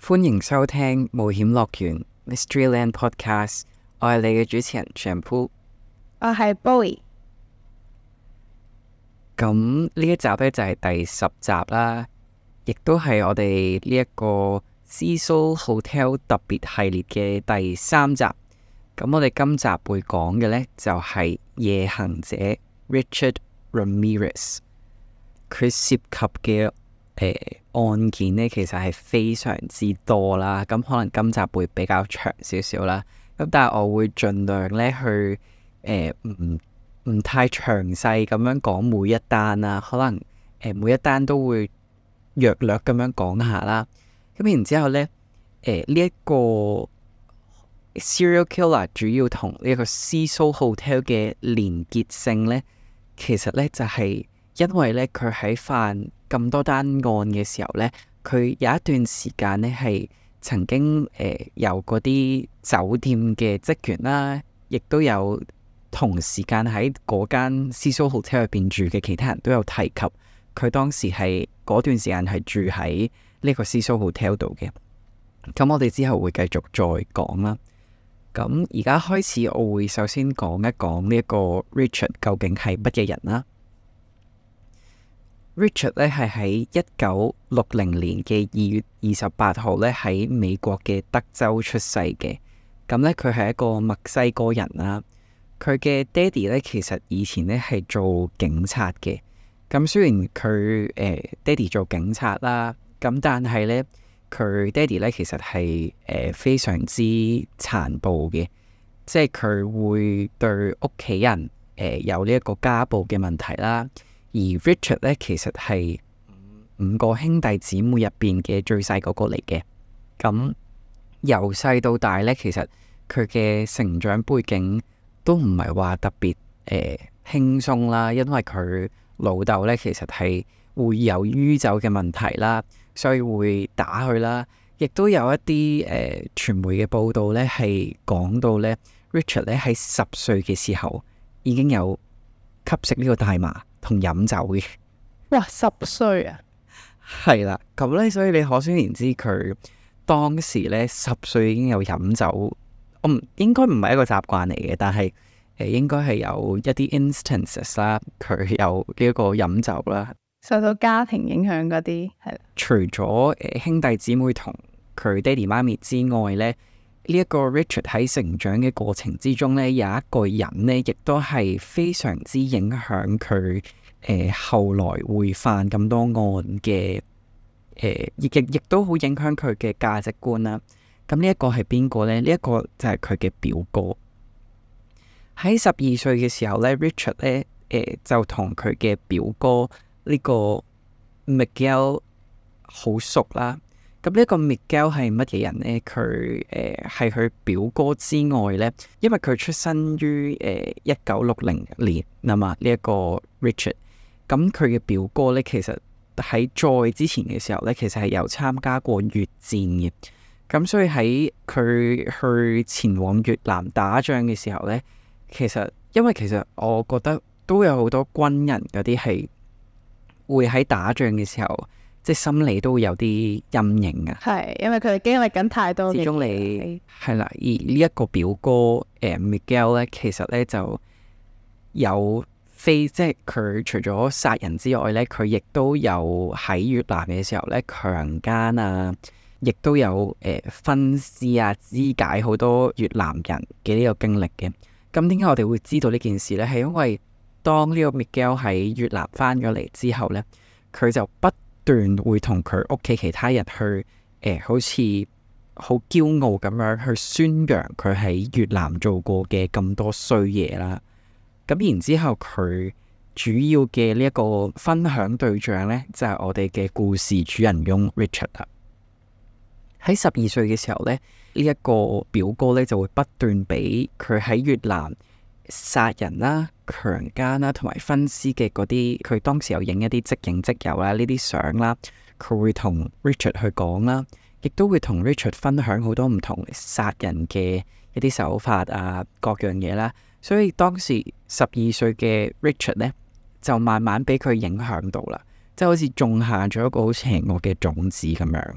歡迎收聽冒險樂園 Mysteryland Podcast， 我係你嘅主持人 Shampoo。我係 Bowie。咁呢一集呢，就係第10集啦，亦都係我哋呢一個 Cecil Hotel 特別系列嘅第3集。咁我哋今集會講嘅呢，就係夜行者 Richard Ramirez。佢涉及嘅案件呢，其實係非常之多啦。咁可能今集會比較長少少啦。咁但係我會盡量呢去唔太詳細咁樣講每一單啦。可能每一單都會略略咁樣講下啦。咁然之後呢，呢一個 serial killer 主要同呢一個 Cecil Hotel 嘅連結性呢，其實呢就係因為呢，佢喺犯咁多單案嘅時候呢，佢有一段時間呢係曾經由嗰啲酒店嘅職員啦，亦都有同時間喺嗰間 Cecil Hotel 入邊住嘅其他人都有提及，佢當時係嗰段時間係住喺呢個 Cecil Hotel 度嘅。咁我哋之後會繼續再講啦。咁而家開始，我會首先講一講呢一個 Richard 究竟係乜嘢人啦。Richard 咧係喺1960年嘅2月28號咧喺美國嘅德州出世嘅。咁咧佢係一個墨西哥人啦。佢嘅爹哋咧其實以前咧係做警察嘅。咁雖然佢爹哋做警察啦，咁但係咧佢爹哋咧其實係非常之殘暴嘅，即係佢會對屋企人有呢一個家暴嘅問題啦。而 Richard 咧其實係5個兄弟姊妹入邊嘅最細嗰個嚟嘅。咁由細到大咧，其實佢嘅成長背景都唔係話特別輕鬆啦，因為佢老豆咧其實係會有酗酒嘅問題啦，所以會打佢啦。亦都有一啲傳媒嘅報道咧係講到咧 Richard 咧喺10歲嘅時候已經有吸食呢個大麻同飲酒嘅。哇，10歲啊！係啦，咁咧，所以你可想而知佢當時咧10歲已經有飲酒，應該唔係一個習慣嚟嘅，但係應該係有一啲 instances 啦，佢有呢一個飲酒啦，受到家庭影響嗰啲係啦。除咗兄弟姊妹同佢爹哋媽咪之外咧，呢一個 Richard 喺成長嘅過程之中咧，有一個人咧，亦都係非常之影響佢後來會犯咁多案嘅，亦都好影響佢嘅價值觀啦。咁呢一個係邊個咧？呢一個就係佢嘅表哥。喺12歲嘅時候咧，Richard 咧就同佢嘅表哥呢個 Miguel 好熟啦。咁呢一個 Miguel 係乜嘢人呢？佢係佢表哥之外呢，因為佢出生於1960年啊嘛，呢一個 Richard。咁佢嘅表哥呢，其實喺再之前嘅時候呢，其實係有參加過越戰嘅。咁所以喺佢去前往越南打仗嘅時候呢，其實我覺得都有好多軍人嗰啲係會喺打仗嘅時候，即係心理都會有啲陰影啊。係，因為佢哋經歷緊太多嘅嘢。始終你係啦，而呢一個表哥Miguel 咧，其實咧就有即係佢除咗殺人之外咧，佢亦都有喺越南嘅時候咧強姦啊，亦都有分屍啊、肢解好多越南人嘅呢個經歷嘅。咁點解我哋會知道呢件事咧？係因為當呢個 Miguel 喺越南翻咗嚟之後咧，佢就不斷會同佢屋企其他人去好似好驕傲咁樣去宣揚佢喺越南做過嘅咁多衰嘢啦。咁然之後佢主要嘅呢一個分享對象呢，就係我哋嘅故事主人翁 Richard 啦。喺12歲嘅時候呢，呢一個表哥呢就會不斷俾佢喺越南殺人啦、強姦啦同埋分屍嘅嗰啲，佢當時有影一啲即影即有啦，呢啲相啦，佢會同 Richard 去講啦，亦都會同 Richard 分享好多唔同殺人嘅一啲手法啊，各樣嘢啦。所以當時12歲嘅 Richard 呢，就慢慢俾佢影響到啦，即係好似種下咗一個好邪惡嘅種子咁樣。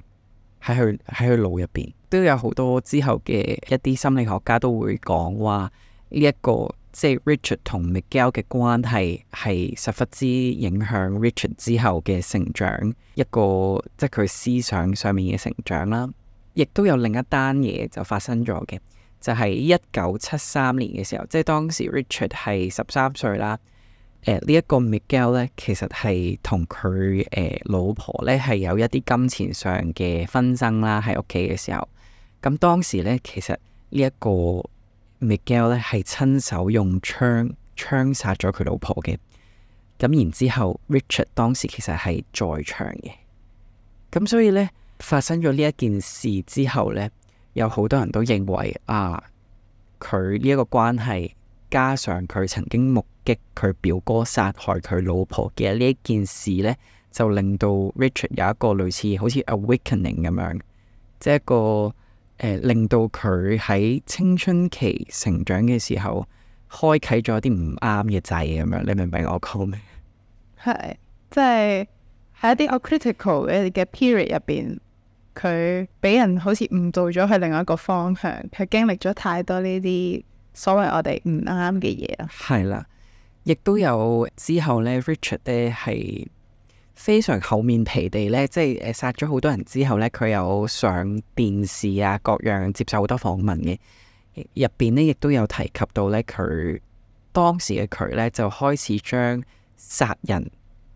喺佢腦入邊。都有好多之後嘅一啲心理學家都會講話呢一個即係 Richard 同 Miguel 嘅關係係十分之影響 Richard 之後嘅成長，一個即係佢思想上面嘅成長啦。亦都有另一單嘢就發生咗嘅，就係1973年嘅時候，即係當時 Richard 係13歲啦。呢一個 Miguel 咧，其實係同佢老婆咧係有一啲金錢上嘅紛爭啦，喺屋企嘅時候。咁當時咧，其實呢一個 Miguel 咧係親手用槍殺咗佢老婆嘅。咁然之後 Richard 當時其實係在場嘅。咁所以咧，發生咗呢一件事之後咧，有好多人都認為佢呢一個關係，加上佢曾經目擊佢表哥殺害佢老婆嘅呢一件事呢，就令到 Richard 有一個類似好似 awakening 咁樣，即係一個令到佢喺青春期成長嘅時候，開啟咗啲唔啱嘅掣咁樣。你明唔明我講咩？係即係喺一啲好 critical 嘅 period 入邊，佢俾人好似誤導咗去另外一個方向，佢經歷咗太多呢啲所謂我哋唔啱嘅嘢啦。係啦，亦都有之後呢 Richard 呢係非常厚面皮地呢，即係殺咗好多人之後呢，佢有上電視啊，各樣接受好多訪問嘅。入邊呢亦都有提及到呢，佢當時嘅佢呢，就開始將殺人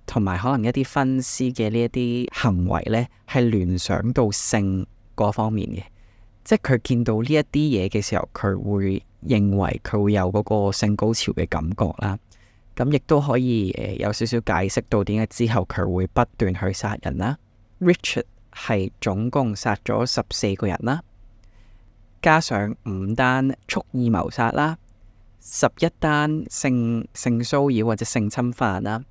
同埋可能一啲分屍嘅呢一啲行為呢，係聯想到性嗰方面嘅。即係佢見到呢一啲嘢嘅時候，佢會認為佢會有嗰個性高潮嘅感覺啦。咁亦都可以有少少解釋到點解之後佢會不斷去殺人啦。Richard 係總共殺咗14個人啦，加上5單蓄意謀殺啦，11單性騷擾或者性侵犯啦，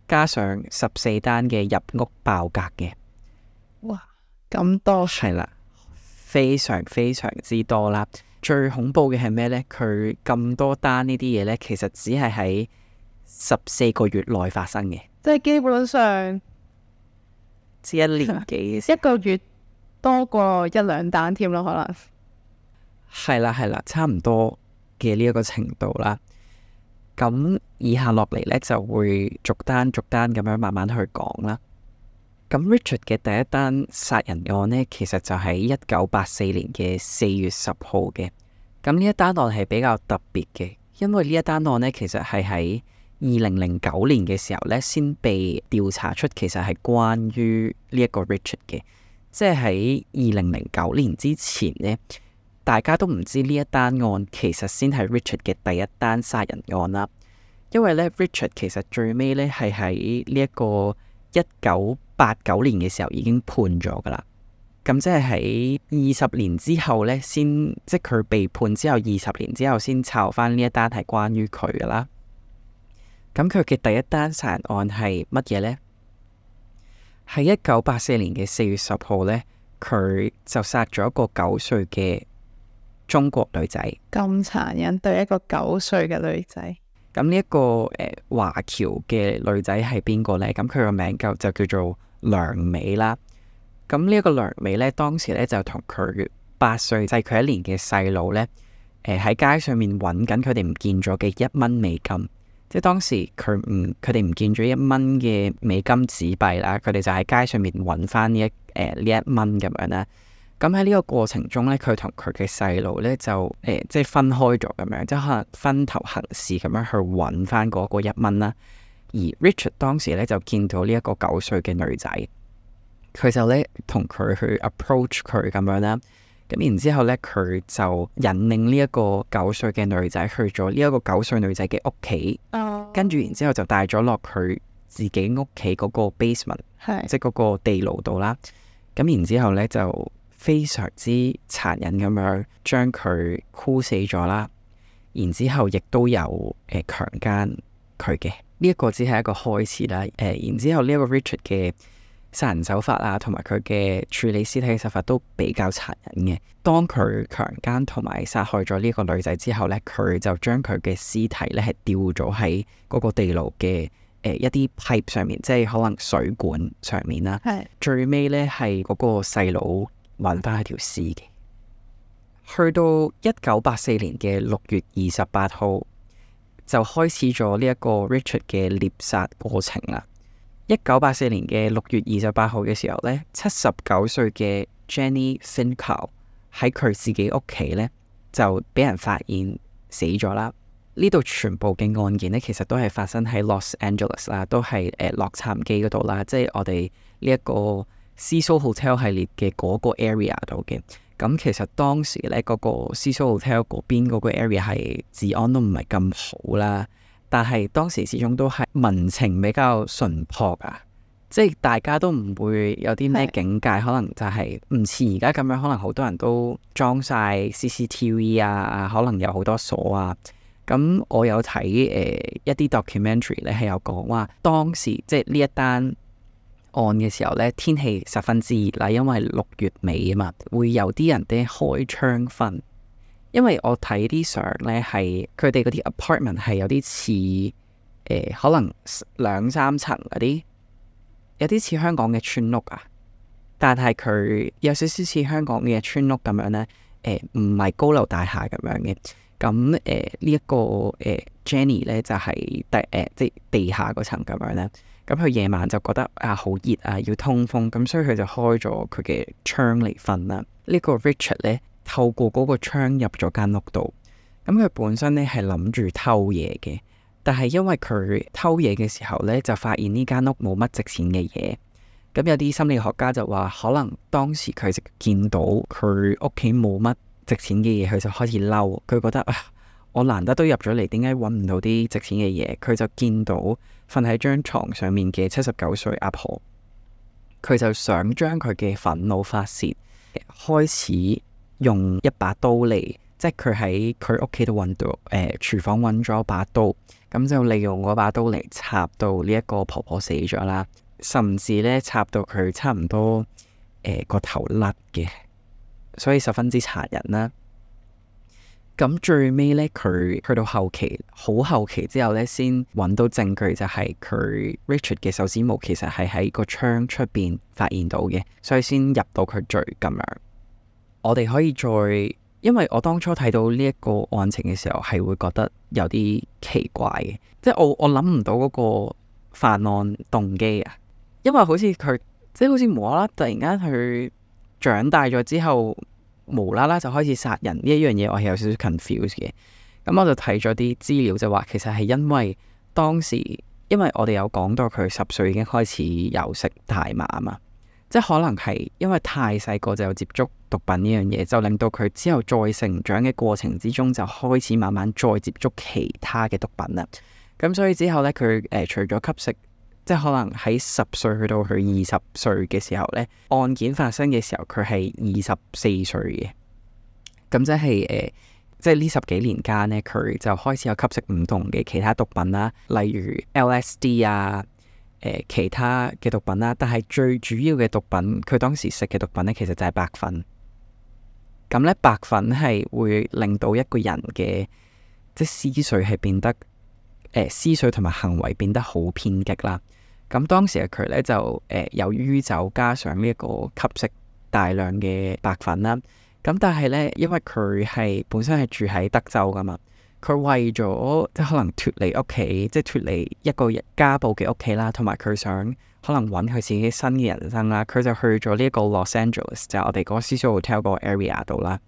加上14單嘅入屋爆格嘅。哇，咁多係啦。非常非常之多啦，最恐怖嘅係咩呢？佢咁多單呢啲嘢呢，其實只係喺14個月內發生嘅，即係基本上只1年幾嘅一個月多過1、2單添咯，可能係啦，差唔多嘅呢一個程度啦。咁以下落嚟呢，就會逐單咁樣慢慢去講啦。咁 Richard 嘅第一單殺人案呢，其實就喺1984年嘅4月10號嘅。咁呢一單案係比較特別嘅，因為呢一單案呢，其實係喺2009年嘅時候呢，先被調查出其實係關於呢一個 Richard 嘅。即係喺2009年之前呢，大家都唔知呢一單案其實先係 Richard 嘅第一單殺人案啦。因為呢 Richard 其實最尾呢係喺呢一個1989年嘅時候已經判咗噶啦，咁即係喺20年之後呢，先即係佢被判之後20年之後先抄翻呢一單係關於佢噶啦。咁佢嘅第一單殺人案係乜嘢呢？喺1984年嘅4月10號呢，佢就殺咗一個9歲嘅中國女仔。咁殘忍對一個9歲嘅女仔。咁呢一個華僑嘅女仔係邊個呢？咁佢個名就叫做梁美啦。咁呢一個梁美呢，當時呢就同佢8歲細佢1年嘅細佬呢，喺街上面揾緊佢哋唔見咗嘅1蚊美金。即係當時佢哋唔見咗1蚊嘅美金紙幣啦，佢哋就喺街上面揾翻呢一蚊咁樣啦。咁喺呢個過程中呢，佢同佢嘅細路呢就即係分開咗咁樣，即係可能分頭行事咁樣去揾翻嗰個1蚊啦。而 Richard 當時呢就見到呢一個9歲嘅女仔，佢就呢同佢去 approach 佢咁樣啦。咁然之後呢，佢就引領呢一個9歲嘅女仔去咗呢一個9歲女仔嘅屋企，跟住然之後就帶咗落佢自己屋企嗰個 basement，即係嗰個地牢度啦。咁然之後呢就非常之殘忍咁樣將佢箍死咗啦，然之後亦都有強姦佢嘅。呢一個只係一個開始啦。然之後呢一個 Richard 嘅殺人手法啊，同埋佢嘅處理屍體嘅手法都比較殘忍嘅。當佢強姦同埋殺害咗呢個女仔之後呢，佢就將佢嘅屍體呢係吊咗喺嗰個地牢嘅一啲 pipe 上面，即係可能水管上面啦。係最尾呢係嗰個細佬揾翻佢條屍嘅。去到1984年嘅6月28號就開始咗呢一個 Richard 嘅獵殺過程啦。1984年嘅6月28號嘅時候呢，79歲嘅 Jenny Finkel 喺佢自己屋企呢，就俾人發現死咗啦。呢度全部嘅案件呢，其實都係發生喺 Los Angeles 啦，都係洛杉磯嗰度啦，即係我哋呢一個 Cecil Hotel 系列嘅嗰個 area 度嘅。咁其實當時呢，嗰個 Cecil Hotel 嗰邊嗰個 area 係治安都唔係咁好啦，但係當時始終都係民情比較淳樸啊，即係大家都唔會有啲咩警戒，可能就係唔似而家咁樣，可能好多人都裝晒 CCTV 啊，可能有好多鎖啊。咁我有睇一啲 documentary 咧，係有講話當時即係呢一單案嘅時候咧，天氣十分之熱啦，因為6月尾啊嘛，會有啲人咧開窗瞓。因為我睇啲相咧，係佢哋嗰啲 apartment 係有啲似可能2-3層嗰啲，有啲似香港嘅村屋啊。但係佢有少少似香港嘅村屋咁樣咧，唔係高樓大廈咁樣嘅。咁呢一個Jenny 咧就係即係地下嗰層咁樣咧。咁佢夜晚就覺得好熱啊，要通風，咁所以佢就開咗佢嘅窗嚟瞓啦。呢個 Richard 咧透過嗰個窗入咗間屋度，咁佢本身咧係諗住偷嘢嘅，但係因為佢偷嘢嘅時候咧就發現呢間屋冇乜值錢嘅嘢，咁有啲心理學家就話可能當時佢就見到佢屋企冇乜值錢嘅嘢，佢就開始嬲，佢覺得我難得都入咗嚟，點解揾唔到啲值錢嘅嘢？佢就見到瞓喺張床上面嘅79歲阿婆，佢就想將佢嘅憤怒發洩，開始用一把刀嚟，即係佢喺佢屋企度揾到廚房揾咗一把刀，咁就利用嗰把刀嚟插到呢一個婆婆死咗啦，甚至咧插到佢差唔多個頭甩嘅，所以十分之殘忍啦。咁最尾咧，佢去到後期，好後期之後咧，先揾到證據，就係佢 Richard 嘅手指毛其實係喺個窗出邊發現到嘅，所以先入到佢罪咁樣。我哋可以再，因為我當初睇到呢一個案情嘅時候，係會覺得有啲奇怪嘅，即係我諗唔到嗰個犯案動機啊，因為好似佢即係好似無啦啦突然間佢長大咗之後，無啦啦就開始殺人呢一樣嘢，我係有少少 confused 嘅。咁我就睇咗啲資料，就話其實係因為當時，因為我哋有講到佢10歲已經開始有食大麻啊嘛，即係可能係因為太細個就有接觸毒品呢樣嘢，就令到佢之後再成長嘅過程之中就開始慢慢再接觸其他嘅毒品啦。咁所以之後呢，佢除咗吸食，即係可能喺10歲去到佢20歲嘅時候呢，案件發生嘅時候佢係24歲嘅，咁即係即係呢10幾年間呢，佢就開始有吸食唔同嘅其他毒品啦，例如 LSD 啊，其他嘅毒品啦，但係最主要嘅毒品，佢當時食嘅毒品呢，其實就係白粉。咁呢，白粉係會令到一個人嘅即係思緒係變得思緒同埋行為變得好偏激啦。咁當時嘅佢呢，就由於酒加上呢一個吸食大量嘅白粉啦。咁但係呢，因為佢係本身係住喺德州噶嘛，佢為咗即係可能脫離屋企，即係脫離一個家暴嘅屋企啦，同埋佢想可能揾佢自己新嘅人生啦，佢就去咗呢一個 Los Angeles，就係我哋嗰個 Cecil Hotel 嗰個 area 度啦。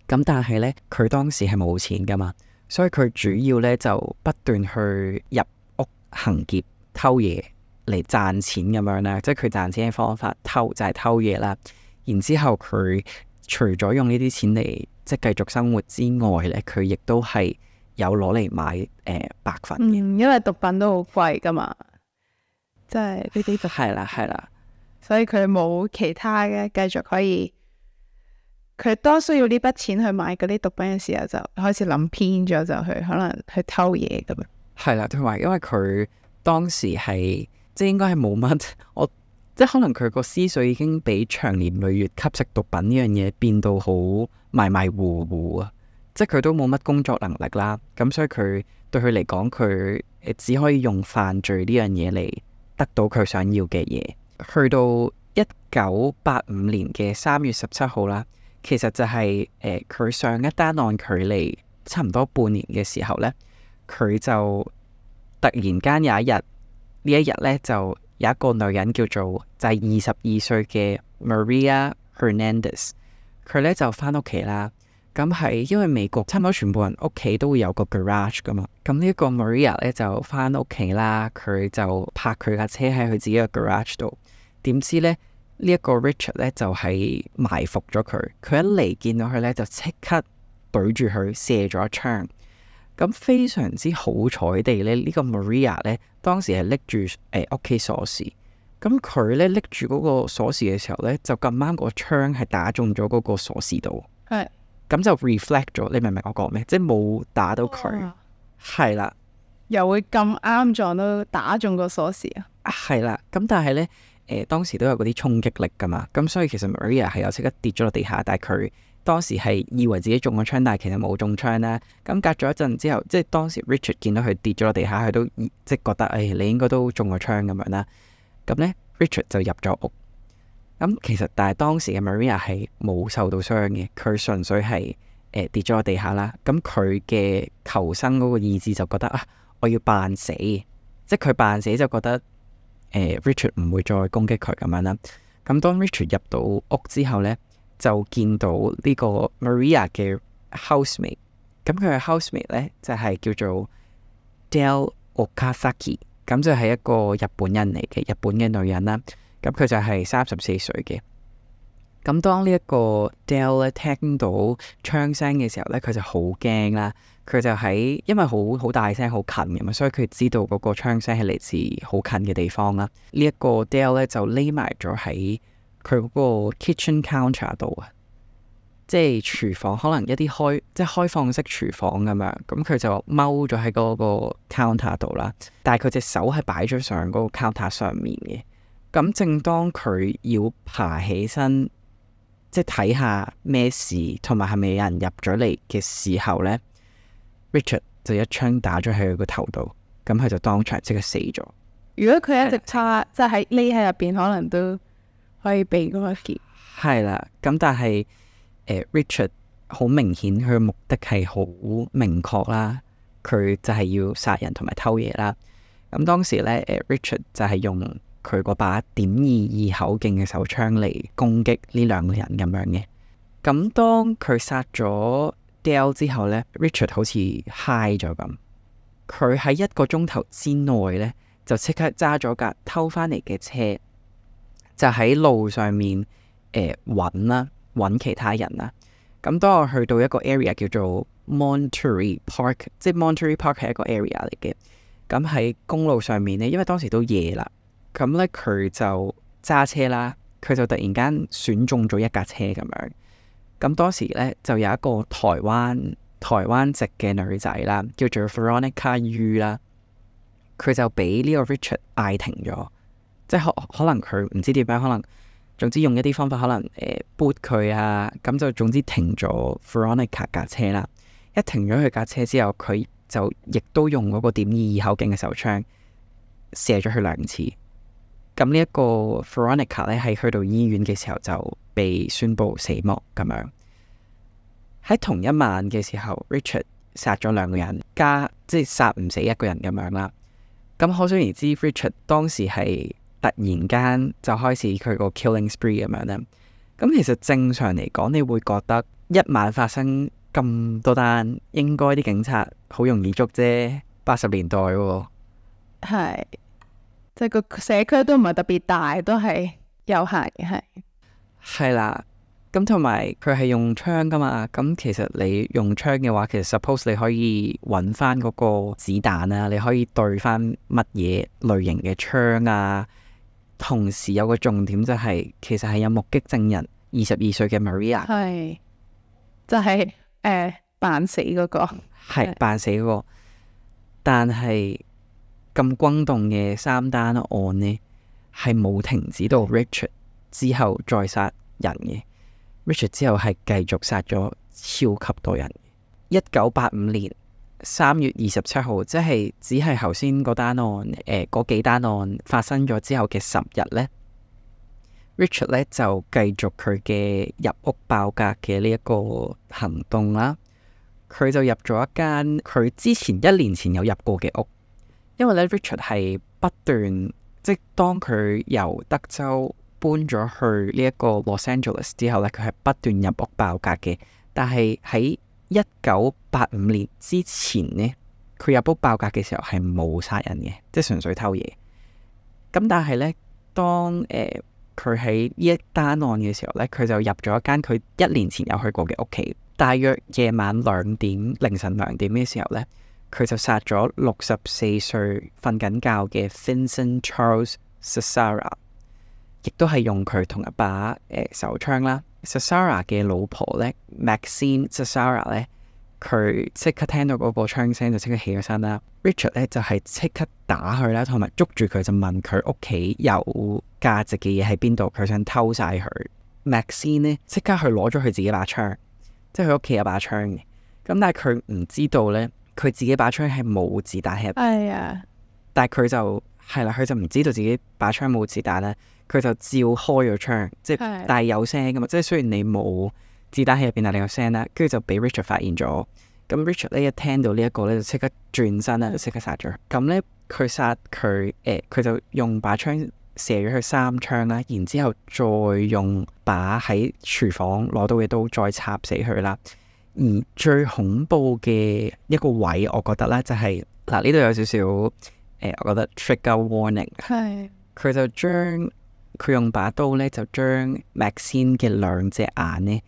咁但係呢，佢當時係冇錢噶嘛，所以佢主要呢就不斷去入屋行劫、偷嘢嚟賺錢咁樣啦。即係佢賺錢嘅方法就係偷嘢啦。然之後佢除咗用呢啲錢嚟即係繼續生活之外呢，佢亦都係有攞嚟買白粉嘅。因為毒品都好貴噶嘛，即係呢啲就係啦係啦，所以佢冇其他嘅繼續可以。佢當需要呢筆錢去買嗰啲毒品嘅時候，就開始諗偏咗，就去可能去偷嘢咁樣。係啦，同埋因為佢當時係即係應該係冇乜，即係可能佢個思緒已經俾長年累月吸食毒品呢樣嘢變到好迷迷糊糊啊！即係佢都冇乜工作能力啦。咁所以對佢嚟講，佢只可以用犯罪呢樣嘢嚟得到佢想要嘅嘢。去到1985年嘅3月17號啦，其實就係佢上一單案距離差唔多半年嘅時候呢，佢就突然間有一日，呢一日呢，就有一個女人叫做就係22歲嘅 Maria Hernandez， 佢呢就返屋企啦。咁係因為美國差唔多全部人屋企都會有個 garage 噶嘛，咁呢一個 Maria 呢就返屋企啦，佢就泊佢架車喺佢自己嘅 garage 度。點知呢，呢一個 Richard 呢就係埋伏咗佢，佢一嚟見到佢呢，就即刻對住佢射咗一槍。咁非常之好彩地呢，呢個 Maria 呢當時係拎住屋企鎖匙，咁佢呢拎住嗰個鎖匙嘅時候呢，就咁啱個槍係打中咗嗰個鎖匙度，係咁就 reflect 咗。你明唔明我講咩？即係冇打到佢，係啦，又會咁啱撞到打中個鎖匙啊？係啦。咁但係呢，當時都有嗰啲衝擊力噶嘛，咁所以其實 Maria 係有即刻跌咗落地下，但係佢當時係以為自己中咗槍，但係其實冇中槍啦。咁隔咗一陣之後，即係當時 Richard 見到佢跌咗落地下，佢都即係覺得你應該都中咗槍咁樣啦。咁呢 Richard 就入咗屋。咁其實但係當時嘅 Maria 係冇受到傷嘅，佢純粹係跌咗落地下啦。咁佢嘅求生嗰個意志就覺得我要扮死，即係佢扮死就覺得Richard 唔會再攻擊佢咁樣啦。咁當 Richard 入到屋之後呢，就見到呢個 Maria 嘅 housemate， 咁佢嘅 housemate 呢，就係叫做 Dale Okazaki， 咁就係一個日本人嚟嘅，日本嘅女人啦。咁佢就係34歲嘅。咁當呢一個 Dale 咧聽到槍聲嘅時候呢，佢就好驚啦。佢就因為好大聲好近嘅嘛，所以佢知道嗰個槍聲係嚟自好近嘅地方啦。呢一個 Dale 咧就匿埋咗喺佢嗰個 kitchen counter 度啊，即係廚房，可能一啲即係開放式廚房咁樣。咁佢就踎咗喺嗰個 counter 度啦，但係佢隻手係擺咗上嗰個 counter 上面嘅。咁正當佢要爬起身，即係睇下咩事，同埋係咪有人入咗嚟嘅時候呢， Richard 就一槍打咗喺佢個頭度，咁佢就當場即刻死咗。如果佢一直即係匿喺入邊，可能都可以避過一劫。係啦，咁但係Richard 好明顯佢嘅目的係好明確啦，佢就係要殺人同埋偷嘢啦。咁當時呢，Richard 就係用佢嗰把.22口徑嘅手槍嚟攻擊呢兩個人咁樣嘅。咁當佢殺咗 Dale 之後呢， Richard 好似 high 咗咁，佢喺1個鐘頭之內呢，就即刻揸咗架偷翻嚟嘅車，就喺路上面揾其他人啦。咁當我去到一個 area 叫做 Monterey Park， 即係 Monterey Park 係一個 area 嚟嘅。咁喺公路上面呢，因為當時都夜啦，咁呢，佢就揸車啦，佢就突然間選中咗一架車咁樣。咁當時呢，就有一個台灣籍嘅女仔啦，叫做 Veronica Yu 啦，佢就俾呢個 Richard 嗌停咗，即係可能佢唔知點樣，可能總之用一啲方法，可能撥佢啊，咁就總之停咗 Veronica 架車啦。一停咗佢架車之後，佢就亦都用嗰個.22口徑嘅手槍射咗佢2次。咁呢一個 Veronica 咧，喺去到醫院嘅時候就被宣布死亡咁樣。喺同一晚嘅時候 ，Richard 殺咗2個人，即係殺唔死1個人咁樣啦。咁可想而知 ，Richard 當時係突然間就開始佢個 killing spree 咁樣啦。咁其實正常嚟講，你會覺得一晚發生咁多單，應該啲警察好容易捉啫。80年代喎，係。即係個社區都唔係特別大，都係有限嘅，係啦。咁同埋佢係用槍噶嘛，咁其實你用槍嘅話，其實 suppose 你可以揾翻嗰個子彈啊，你可以對翻乜嘢類型嘅槍啊。同時有個重點就係，其實係有目擊證人22歲嘅 Maria， 係就係扮死嗰個，係扮死嗰個，但係咁轟動嘅3單案呢，係冇停止到 Richard 之後再殺人嘅。Richard 之後係繼續殺咗超級多人，而1985年3月27號，即係只係頭先嗰單案嗰幾單案發生咗之後嘅10日呢， Richard 呢就繼續佢嘅入屋爆格嘅呢一個行動啦。佢就入咗一間佢之前1年前有入過嘅屋，因為咧 Richard 係不斷，即係當佢由德州搬咗去呢一個 Los Angeles 之後咧，佢係不斷入屋爆格嘅。但係喺1985年之前呢，佢入屋爆格嘅時候係冇殺人嘅，即係純粹偷嘢。咁但係呢，當佢喺呢一單案嘅時候呢，佢就入咗一間佢1年前有去過嘅屋企。大約夜晚凌晨2點嘅時候呢，佢就殺咗64歲瞓緊覺嘅 Vincent Charles Cassara， 亦都係用佢同一把手槍啦。Cassara 嘅老婆呢 Maxine Cassara 呢，佢即刻聽到嗰個槍聲就即刻起咗身啦。Richard 呢就係即刻打佢啦，同埋捉住佢就問佢屋企有價值嘅嘢喺邊度，佢想偷晒佢。Maxine 呢即刻去攞咗佢自己把槍。即係佢屋企有把槍嘅，咁但係佢唔知道呢，佢自己把槍係冇子彈喺入邊。係啊，但係佢就係啦，佢就唔知道自己把槍冇子彈咧，佢就照開咗槍，即係但係有聲噶嘛，即係雖然你冇子彈喺入邊，但係你有聲啦，跟住就俾 Richard 發現咗。咁 Richard 呢一聽到呢一個呢，就即刻轉身啦，就即刻殺咗佢。咁呢，佢殺佢佢就用把槍射咗佢3槍啦，然之後再用把喺廚房攞到嘅刀再插死佢啦。而最恐怖嘅一個位，我覺得咧就係嗱，呢度有少少我覺得 trigger warning。係佢就將佢用把刀咧，就將 Maxine 嘅2隻眼呢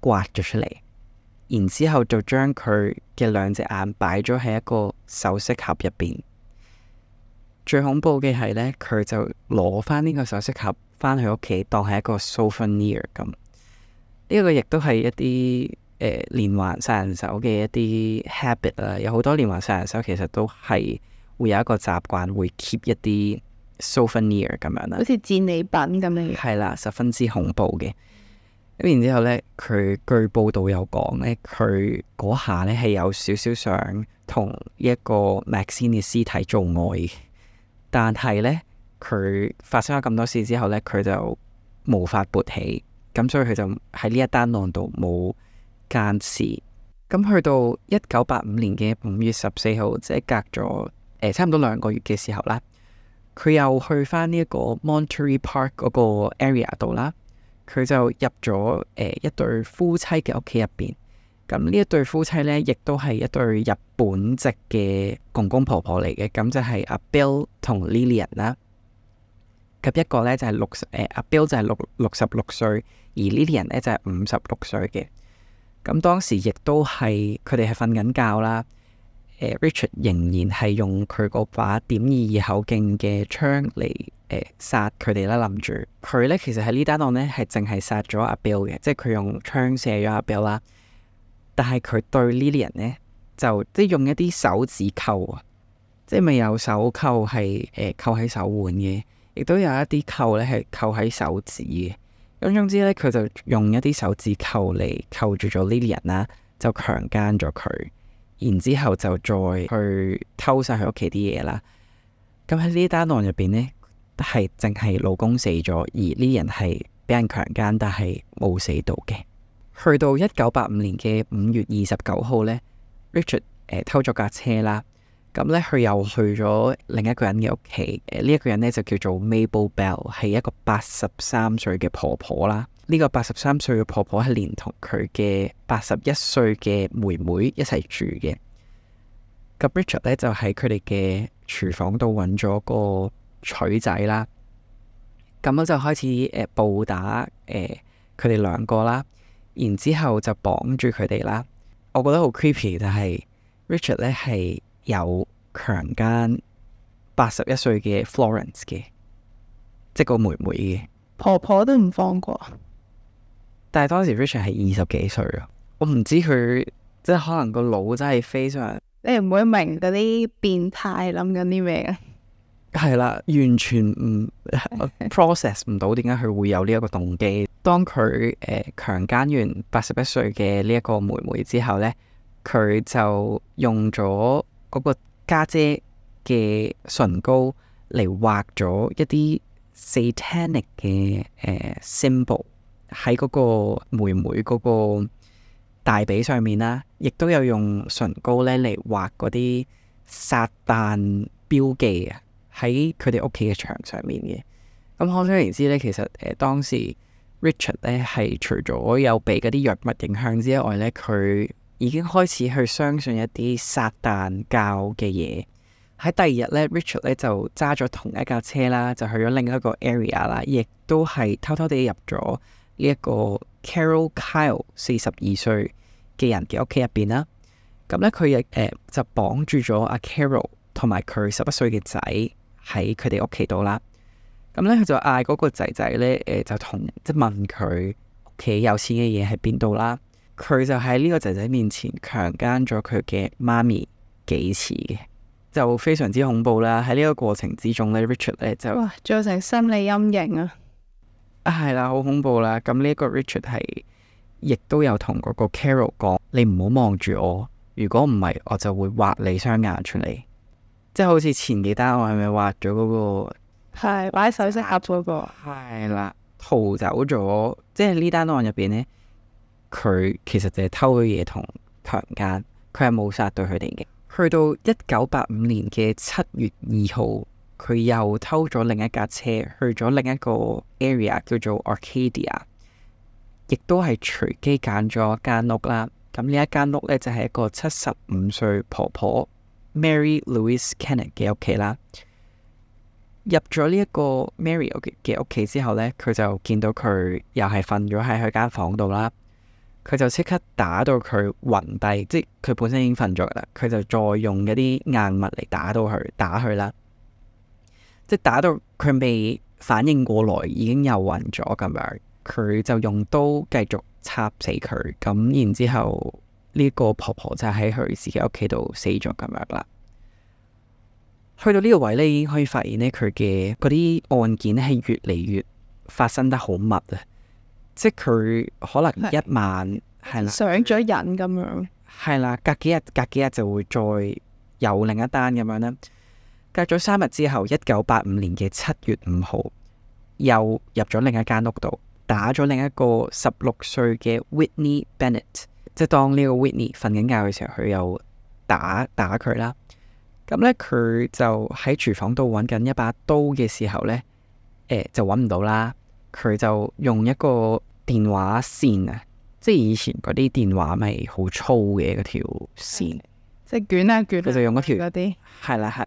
刮咗出嚟，然之後就將佢嘅2隻眼擺咗喺一個首飾盒入邊。最恐怖嘅係呢，佢就攞翻呢個首飾盒翻去屋企，當係一個 souvenir 咁。呢個亦都係一啲連環殺人手嘅一啲 habit 啦。有好多連環殺人手其實都係會有一個習慣，會 keep 一啲 souvenir 咁樣啦，好似戰利品咁樣。係啦，十分之恐怖嘅。咁然之後呢，佢據報道有講呢，佢嗰下呢係有少少想同呢一個 Maxine 嘅屍體做愛嘅。但係呢，佢發生咗咁多事之後呢，佢就無法勃起，咁所以佢就喺呢一單案度冇姦屍。咁去到1985年嘅5月14號，即係隔咗差唔多2個月嘅時候啦，佢又去翻呢一個 Monterey Park 嗰個 area 度啦，佢就入咗一對夫妻嘅屋企入邊。咁呢一對夫妻呢，亦都係一對日本籍嘅公公婆婆嚟嘅，咁就係阿 Bill 同 Lillian 啦。咁一個呢，就係阿 Bill 就係66歲，而 Lillian 呢，就係56歲嘅。咁當時亦都係佢哋係瞓緊覺啦。Richard 仍然係用佢嗰把.22口徑嘅槍嚟殺佢哋啦，諗住佢呢，其實喺呢單案呢，係淨係殺咗阿 Bill 嘅，即係佢用槍射咗阿 Bill 啦。但係佢對 Lillian 呢，就即係用一啲手指扣啊，即係咪有手扣係扣喺手腕嘅，亦都有一啲扣呢係扣喺手指嘅。咁總之呢，佢就用一啲手指扣嚟扣住咗 Lillian 啦，就強姦咗佢，然之後就再去偷晒佢屋企啲嘢啦。咁喺呢單案入邊呢，係淨係老公死咗，而 Lillian 係俾人強姦，但係冇死到嘅。去到1985年嘅5月29號呢， Richard 偷咗架車啦，咁呢，佢又去咗另一個人嘅屋企，呢一個人呢，就叫做 Mabel Bell， 係一個83歲嘅婆婆啦。呢個83歲嘅婆婆係連同佢嘅81歲嘅妹妹一齊住嘅。咁 Richard 呢，就喺佢哋嘅廚房度揾咗個錘仔啦，咁我就開始暴打佢哋2個啦。然之後就綁住佢哋啦，我覺得好 creepy，但係 Richard 咧係有強姦81歲嘅 Florence 嘅，即係個妹妹嘅。婆婆都唔放過。但係當時 Richard 係20幾歲啊，我唔知佢即係可能個腦真係非常，你唔會明嗰啲變態諗緊啲咩啊？係啦，完全唔process 唔到點解佢會有呢一個動機。當佢強姦完81歲嘅呢一個妹妹之後呢，佢就用咗嗰個家姐嘅唇膏嚟畫咗一啲 satanic 嘅symbol 喺嗰個妹妹嗰個大髀上面啦，亦都有用唇膏咧嚟畫嗰啲撒旦標記啊，喺佢哋屋企嘅牆上面嘅。咁可想而知咧，其實當時 Richard 咧係除咗有被嗰啲藥物影響之外咧，佢已經開始去相信一啲撒旦教嘅嘢。喺第二日咧 Richard 咧就揸咗同一架車啦，就去咗另一個 area 啦，亦都係偷偷地入咗呢一個 Carol Kyle 42歲嘅人嘅屋企入邊啦。咁咧佢亦就綁住咗阿 Carol 同埋佢11歲嘅仔喺佢哋屋企度啦。咁咧佢就嗌嗰個仔仔咧就即係問佢屋企有錢嘅嘢喺邊度啦。佢就喺呢個仔仔面前強姦咗佢嘅媽咪幾次嘅，就非常之恐怖啦。喺呢個過程之中咧 Richard 咧就哇，造成心理陰影啊！係啦，好恐怖啦。咁呢一個 Richard 係亦都有同嗰個 Carol 講，你唔好望住我，如果唔係我就會挖你雙眼出嚟。即係好似前幾單我係咪挖咗嗰個係擺首飾盒嗰個？係啦，逃走咗。即係呢單案入邊呢，佢其實就係偷咗嘢同強姦，佢係冇殺到佢哋嘅。去到1985年嘅7月2號，佢又偷咗另一架車去咗另一個 area 叫做 Arcadia， 亦都係隨機揀咗一間屋啦。咁呢一間屋呢，就係一個75歲婆婆 Mary Louise Kennett 嘅屋企啦。入咗呢一個 Mary 嘅屋企之後呢，佢就見到佢又係瞓咗喺佢間房度啦。佢就即刻打到佢暈低，即係佢本身已經瞓咗啦。佢就再用一啲硬物嚟打佢啦，即係打到佢未反應過來，已經又暈咗咁樣。佢就用刀繼續插死佢，咁然之後呢個婆婆就喺佢自己屋企度死咗咁樣啦。去到呢個位呢，已經可以發現呢，佢嘅嗰啲案件係越嚟越發生得好密啊！即係佢可能一晚係啦，上咗癮咁樣，係啦，隔幾日就會再有另一單咁樣啦。隔咗3日之後，1985年嘅7月5號，又入咗另一間屋度，打咗另一個16歲嘅 Whitney Bennett。即係當呢個 Whitney 瞓緊覺嘅時候，佢又打佢啦。咁咧，佢就喺廚房度揾緊一把刀嘅時候咧，就揾唔到啦。佢就用一個電話線啊，即係以前嗰啲電話咪好粗嘅嗰條線，即係捲啊捲。佢就用嗰條嗰啲係啦係。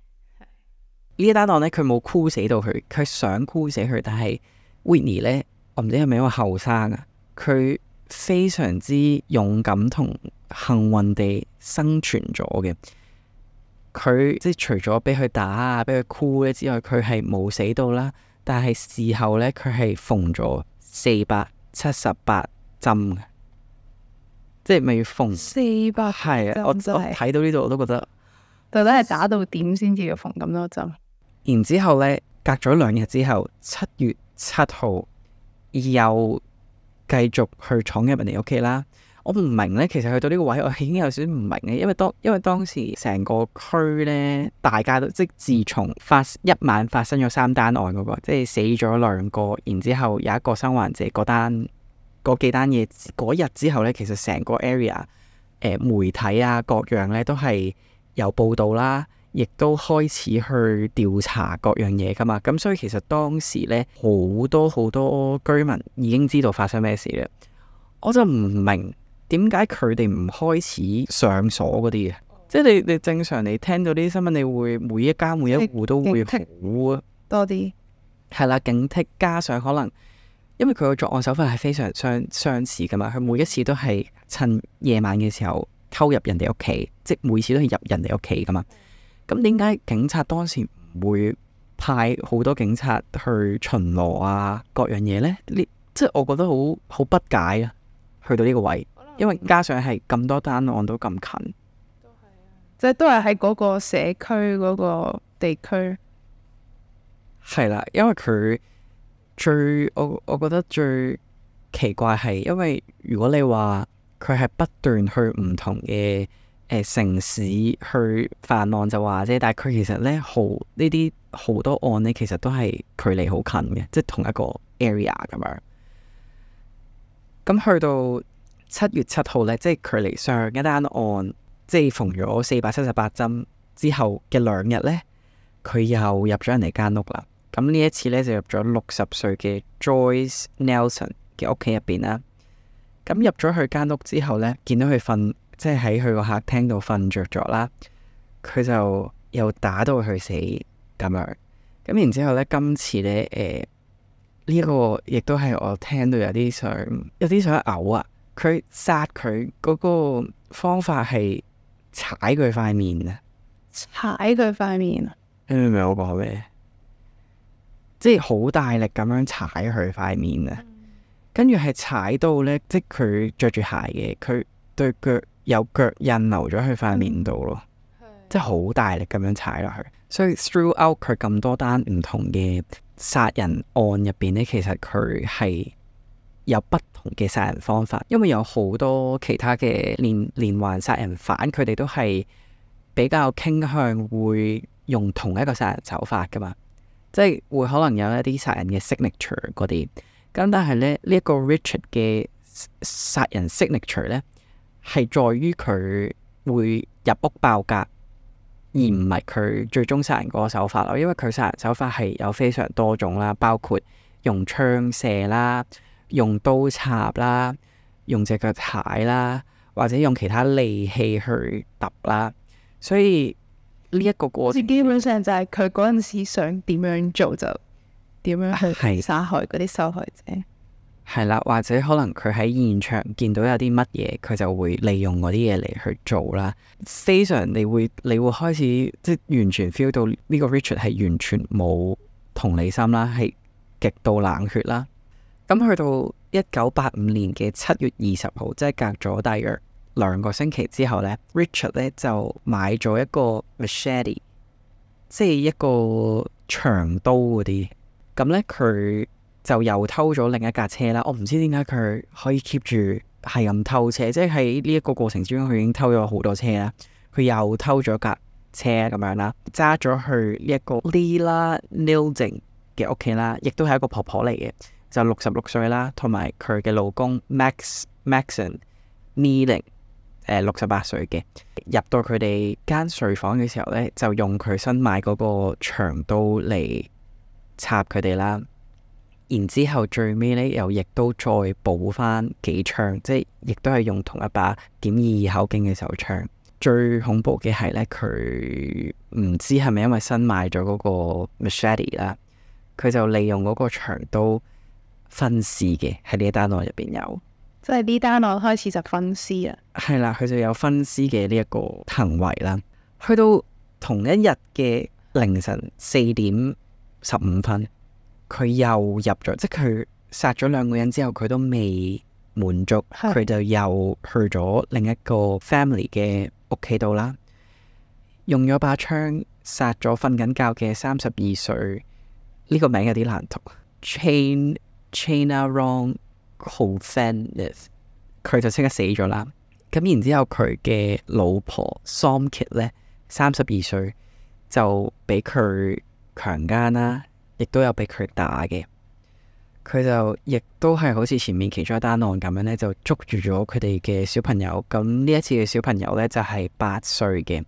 呢一單案咧，佢冇箍死到佢，佢想箍死佢，但係 Whitney 咧，我唔知係咪因為後生啊，佢非常之勇敢同幸運地生存咗嘅。佢即係除咗俾佢打啊，俾佢箍咧之外，佢係冇死到啦。但係事後咧，佢係縫咗478針嘅，即係咪要縫400係啊？我睇到呢度我都覺得，到底係打到點先至要縫咁多針？然之後咧，隔咗2日之後，7月7號又繼續去闖入人哋屋企啦。我唔明咧，其實去到呢個位，我已經有少少唔明嘅，因為當時成個區咧，大家都即係自從一晚發生咗3單案嗰個，即係死咗2個，然之後有一個生還者嗰幾單嘢嗰日之後咧，其實成個 area 媒體啊各樣咧都係有報道啦，亦都開始去調查各樣嘢噶嘛。咁所以其實當時咧好多居民已經知道發生咩事咧，我就唔明。點解佢哋唔開始上鎖嗰啲嘅？即係你正常你聽到呢啲新聞，你會每一家每一戶都會好多啲。係啦，警惕，加上可能因為佢個作案手法係非常相似噶嘛，佢每一次都係趁夜晚嘅時候偷入人哋屋企，即係每次都係入人哋屋企噶嘛。咁點解警察當時唔會派好多警察去巡邏啊各樣嘢呢？即係我覺得好不解啊！去到呢個位。因為加上係咁多單案都咁近，即係都係喺嗰個社區嗰個地區。係啦，因為佢我覺得最奇怪係，因為如果你話佢係不斷去唔同嘅城市去犯案就話啫，但係佢其實咧呢啲好多案咧，其實都係距離好近嘅，即係同一個 area 咁樣。咁去到7月7號咧，即係距離上一單案即係縫咗478針之後嘅2日咧，佢又入咗人哋間屋啦。咁呢一次咧就入咗60歲嘅 Joyce Nelson 嘅屋企入邊啦。咁入咗去間屋之後咧，見到佢瞓，即係喺佢個客廳度瞓着咗啦。佢就又打到佢死咁樣。咁然之後咧，今次咧呢一個亦都係我聽到有啲想嘔啊！佢殺佢嗰個方法係踩佢塊面啊！踩佢塊面啊！你明唔明我講咩？即係好大力咁樣踩佢塊面啊！跟住係踩到咧，即係佢着住鞋嘅，佢對腳有腳印留咗喺塊面度咯，即係好大力咁樣踩落去。所以 throughout 佢咁多單唔同嘅殺人案入邊咧，其實佢係有不同嘅殺人方法，因為有好多其他嘅連環殺人犯，佢哋都係比較傾向會用同一個殺人手法噶嘛，即係會可能有一啲殺人嘅 signature 嗰啲。咁但係咧，呢一個 Richard 嘅殺人 signature 咧，係在於佢會入屋爆格，而唔係佢最終殺人嗰個手法咯。因為佢殺人手法係有非常多種啦，包括用槍射啦、用刀插啦、用隻腳踩啦，或者用其他利器去揼啦。所以呢一個過程基本上就係佢嗰陣時想點樣做就點樣去殺害嗰啲受害者。係啦，或者可能佢喺現場見到有啲乜嘢，佢就會利用嗰啲嘢嚟去做啦。非常你會開始即係完全 feel 到呢個 Richard 係完全冇同理心啦，係極度冷血啦。咁去到1985年嘅7月20號，即係隔咗大約2個星期之後呢， Richard 呢就買咗一個 machete， 即係一個長刀嗰啲。咁呢，佢就又偷咗另一架車啦。我唔知點解佢可以 keep 住係咁偷車，即係喺呢一個過程之中，佢已經偷咗好多車啦。佢又偷咗架車咁樣啦，揸咗去呢一個 Leila Nilding 嘅屋企啦，亦都係一個婆婆嚟嘅，就66歲啦，同埋佢嘅老公 Maxon Nealing 68歲嘅。入到佢哋間睡房嘅時候呢，就用佢新買嗰個長刀嚟插佢哋啦，然之後最尾呢，又亦都再補翻幾槍，即係亦都係用同一把.22口徑嘅手槍。最恐怖嘅係呢，佢唔知係咪因為新買咗嗰個 machete 啦，佢就利用嗰個長刀分屍嘅，喺呢一單案入邊有，即係呢單案開始就分屍啦。係啦，佢就有分屍嘅呢一個行為啦。去到同一日嘅凌晨4:15，佢又入咗，即係佢殺咗2個人之後，佢都未滿足，佢就又去咗另一個 family 嘅屋企度啦，用咗把槍殺咗瞓緊覺嘅32歲，呢個名有啲難讀，Chanarong Hovhanith，佢就即刻死咗啦。咁然之後佢嘅老婆 Somkit 呢，32歲就俾佢強姦啦，亦都有俾佢打嘅。佢就亦都係好似前面其中一單案咁樣呢，就捉住咗佢哋嘅小朋友。咁呢一次嘅小朋友呢，就係8歲嘅。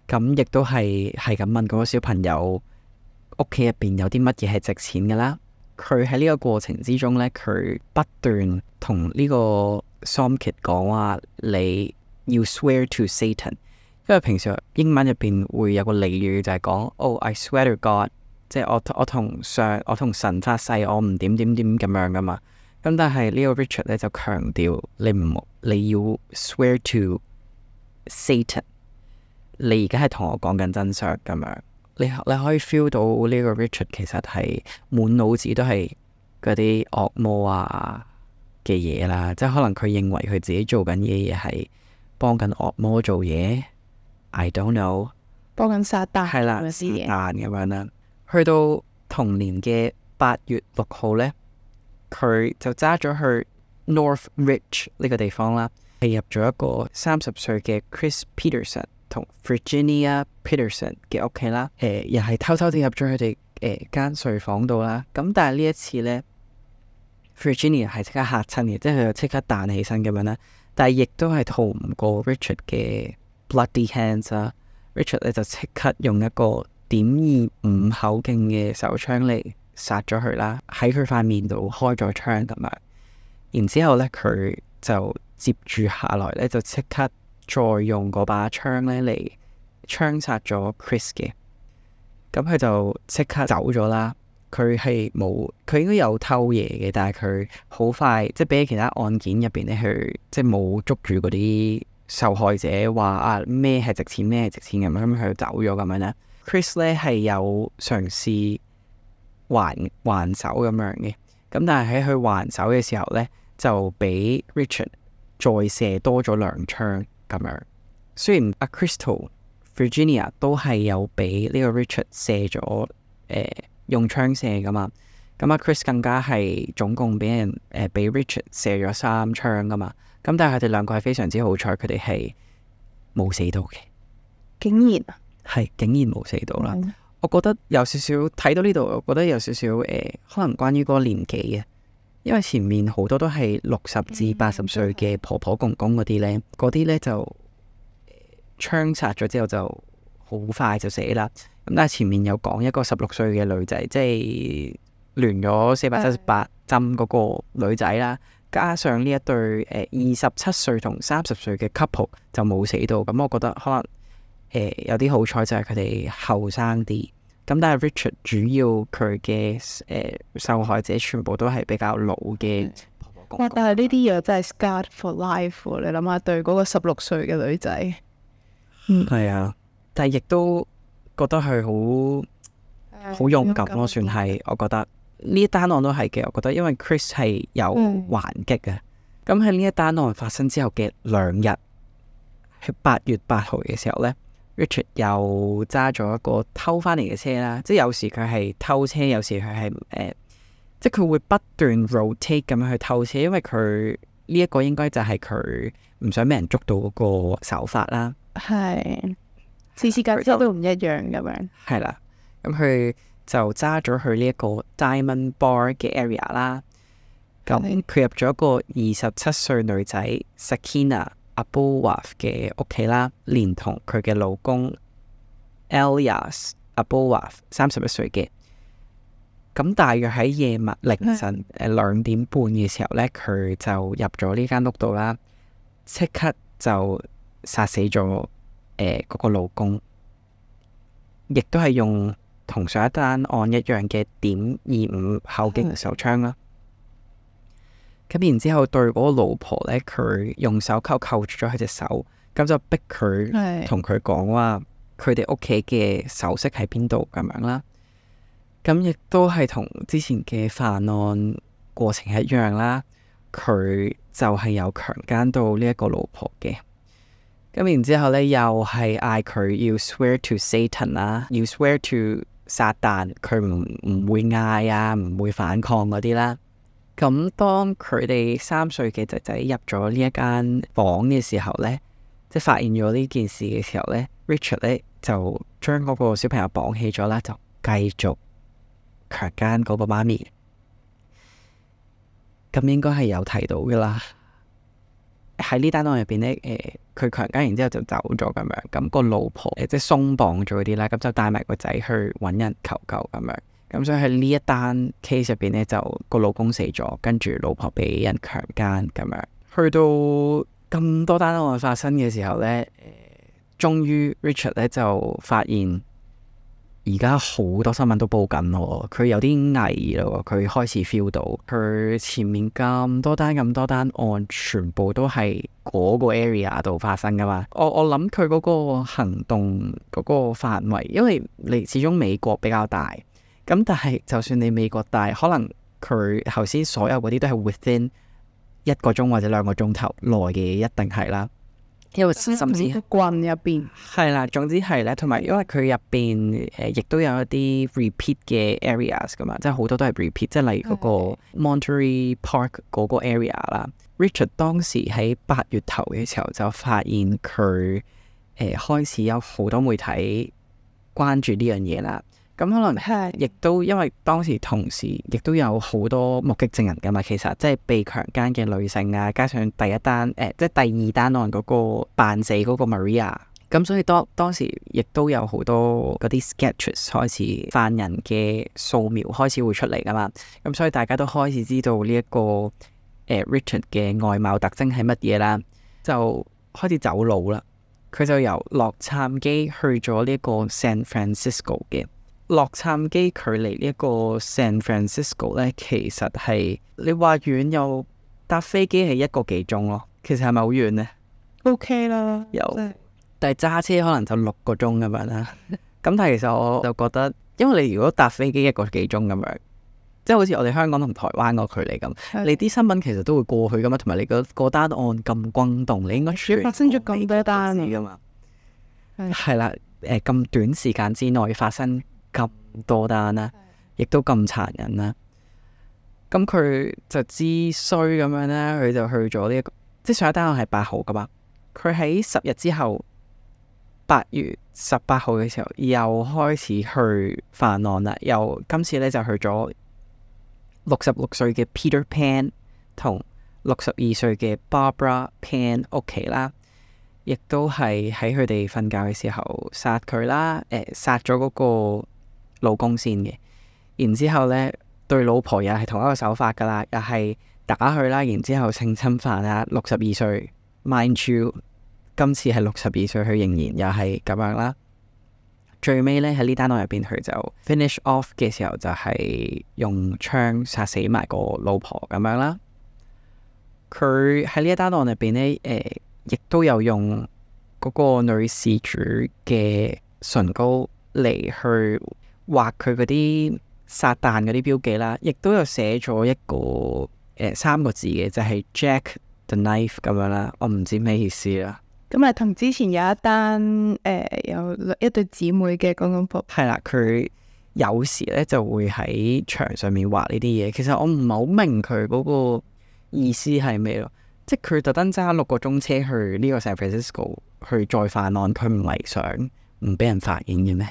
咁亦都係咁問嗰個小朋友屋企入邊有啲乜嘢係值錢嘅啦。佢喺呢個過程之中呢，佢不斷同呢個 Somkit 講話，你要 swear to Satan。因為平時英文入邊會有個俚語就係講，Oh I swear to God，即係我同神發誓，我唔點點點咁樣噶嘛。咁但係呢個 Richard 咧就強調你要 swear to Satan， 你而家係同我講緊真相咁樣。你可以 feel 到呢個 Richard 其實係滿腦子都係嗰啲惡魔啊嘅嘢啦，即係可能佢認為佢自己做緊嘅嘢係幫緊惡魔做嘢。I don't know， 幫緊撒旦係啦，撒旦咁樣啦。去到同年嘅8月6號呢，佢就揸咗去 North Ridge 呢個地方啦。係入咗一個30歲嘅 Chris Peterson 同 Virginia Peterson 嘅屋企啦。又係偷偷地入咗佢哋間睡房度啦。咁但係呢一次呢 Virginia 係即刻嚇親嘅，即係佢就即刻彈起身咁樣啦。但係亦都係逃唔過 Richard 嘅 bloody hands 啦。Richard 咧就即刻用一個.25口徑嘅手槍嚟殺咗佢啦，喺佢塊面度開咗槍咁樣。然之後咧，佢就接住下來咧，就即刻再用嗰把槍咧嚟槍殺咗 Chris 嘅。咁佢就即刻走咗啦。佢係冇，佢應該有偷嘢嘅，但係佢好快，即係比起其他案件入邊咧，佢即係冇捉住嗰啲受害者話啊咩係值錢咩係值錢咁樣，咁佢就走咗咁樣啦。Chris 咧係有嘗試還手咁樣嘅，咁但係喺佢還手嘅時候咧，就俾 Richard 再射多咗2槍咁樣。雖然阿 Crystal、Virginia 都係有俾呢個 Richard 射咗用槍射噶嘛，咁阿 Chris 更加係總共俾人俾 Richard 射咗3槍噶嘛，咁但係佢哋兩個係非常之好彩，佢哋係冇死到嘅，竟然係竟然冇死到啦。我覺得有少少睇到呢度，我覺得有少少可能關於嗰個年紀嘅，因為前面好多都係60至80歲嘅婆婆公公嗰啲呢，嗰啲呢就槍殺咗之後就好快就死啦。咁但係前面有講一個16歲嘅女仔，即係亂咗478針嗰個女仔啦，加上呢一對27歲同30歲嘅 couple 就冇死到。咁我覺得可能有啲好彩就係佢哋後生啲。咁但係 Richard 主要佢嘅受害者全部都係比較老嘅婆婆公公。哇！但係呢啲嘢真係 scarred for life 喎。你諗下，對嗰個16歲嘅女仔，係啊，但係亦都覺得佢好勇敢咯，算係。我覺得呢一單案都係嘅。我覺得因為 Chris 係有還擊嘅。咁喺呢一單案發生之後嘅2日，喺8月8號嘅時候呢， Richard 又揸咗一個偷翻嚟嘅車啦。即係有時佢係偷車，有時佢係即係佢會不斷 rotate 咁樣去偷車，因為佢呢一個應該就係佢唔想俾人捉到嗰個手法啦。係次次架車都唔一樣咁樣。係啦，咁佢就揸咗去呢一個 Diamond Bar 嘅 area 啦。咁佢入咗一個27歲女仔 Sakina Abulwaf 嘅屋企啦，連同佢嘅老公 Elias Abulwaf 31歲嘅。咁大約喺夜晚凌晨2點半嘅時候呢，佢就入咗呢間屋度啦，即刻就殺死咗嗰個老公，亦都係用同上一單案一樣嘅.25口徑手槍啦。咁然之後對嗰個老婆呢，佢用手扣住咗佢隻手，咁就逼佢同佢講話佢哋屋企嘅首飾喺邊度咁樣啦。咁亦都係同之前嘅犯案過程一樣啦，佢就係有強姦到呢一個老婆嘅。咁然之後呢，又係嗌佢要 swear to Satan 啦，要 swear to 撒旦，佢唔會嗌啊，唔會反抗嗰啲啦。咁當佢哋3歲嘅仔仔入咗呢一間房嘅時候呢，即係發現咗呢件事嘅時候呢， Richard 呢就將嗰個小朋友綁起咗啦，就繼續強姦嗰個媽咪。咁應該係有提到噶啦，喺呢單案入邊呢，佢強姦完之後就走咗咁樣，咁個老婆即係鬆綁咗嗰啲啦，咁就帶埋個仔去揾人求救咁樣。咁所以喺呢一單 case 入邊呢，就個老公死咗，跟住老婆俾人強姦咁樣。去到咁多單案發生嘅時候呢，終於 Richard 呢就發現而家好多新聞都報緊咯，佢有啲危咯，佢開始 feel 到佢前面咁多單案全部都係嗰個 area 度發生噶嘛。我諗佢嗰個行動嗰個範圍，因為你始終美國比較大。咁但係就算你美國大，可能佢頭先所有嗰啲都係 within 1個鐘或者2個鐘頭內嘅，一定係啦。因為甚至個棍入邊係啦，總之係咧，同埋因為佢入邊亦都有一啲 repeat 嘅 areas 噶嘛，即係好多都係 repeat，即係例如嗰個 Monterey Park 嗰個 area 啦。Richard 當時喺8月頭嘅時候就發現佢開始有好多媒體關注呢樣嘢啦。咁可能亦都因為當時同時亦都有好多目擊證人噶嘛，其實即係被強姦嘅女性啊，加上第一單即係第二單案嗰個扮死嗰個 Maria， 咁所以當時亦都有好多嗰啲 sketches 開始犯人嘅素描開始會出嚟噶嘛，咁所以大家都開始知道呢一個Richard 嘅外貌特徵係乜嘢啦，就開始走佬啦。佢就由洛杉磯去咗呢一個 San Francisco 嘅。洛杉磯距離呢一個 San Francisco 咧，其實係你話遠又搭飛機係1個幾鐘咯。其實係咪好遠呢？ OK 啦，但係揸車可能就6個鐘咁樣啦。咁但係其實我就覺得，因為你如果搭飛機1個幾鐘咁樣，即係好似我哋香港同台灣個距離咁，你啲新聞其實都會過去噶嘛，同埋你個單案咁轟動，你應該發生咗咁多單噶嘛。係啦，咁短時間之內發生咁多單啦，亦都咁殘忍啦。咁佢就知衰咁樣啦，佢就去咗呢一個，即係上一單案係8號噶嘛。佢喺10日之後，8月18號嘅時候又開始去犯案啦。又今次咧就去咗66歲嘅 Peter Pan 同62歲嘅 Barbara Pan 屋企啦。亦都係喺佢哋瞓覺嘅時候殺佢啦，殺咗嗰個老公先嘅，然之後咧對老婆又係同一個手法噶啦，又係打佢啦，然之後性侵犯啊，62歲 ，mind you， 今次係62歲，佢仍然又係咁樣啦。最尾咧喺呢單案入邊，佢就 finish off 嘅時候就係用槍殺死埋個老婆咁樣啦。佢喺呢一單案入邊咧，亦都有用嗰個女事主嘅唇膏嚟去畫佢嗰啲撒旦嗰啲標記啦，亦都有寫咗一個3個字嘅，就係 Jack the Knife 咁樣啦。我唔知咩意思啦。咁啊，同之前有一單有一對姊妹嘅嗰個係啦，佢有時咧就會喺牆上面畫呢啲嘢。其實我唔係好明佢嗰個意思係咩咯。即係佢特登揸6個鐘車去呢個 San Francisco 去再犯案，佢唔係想唔俾人發現嘅咩？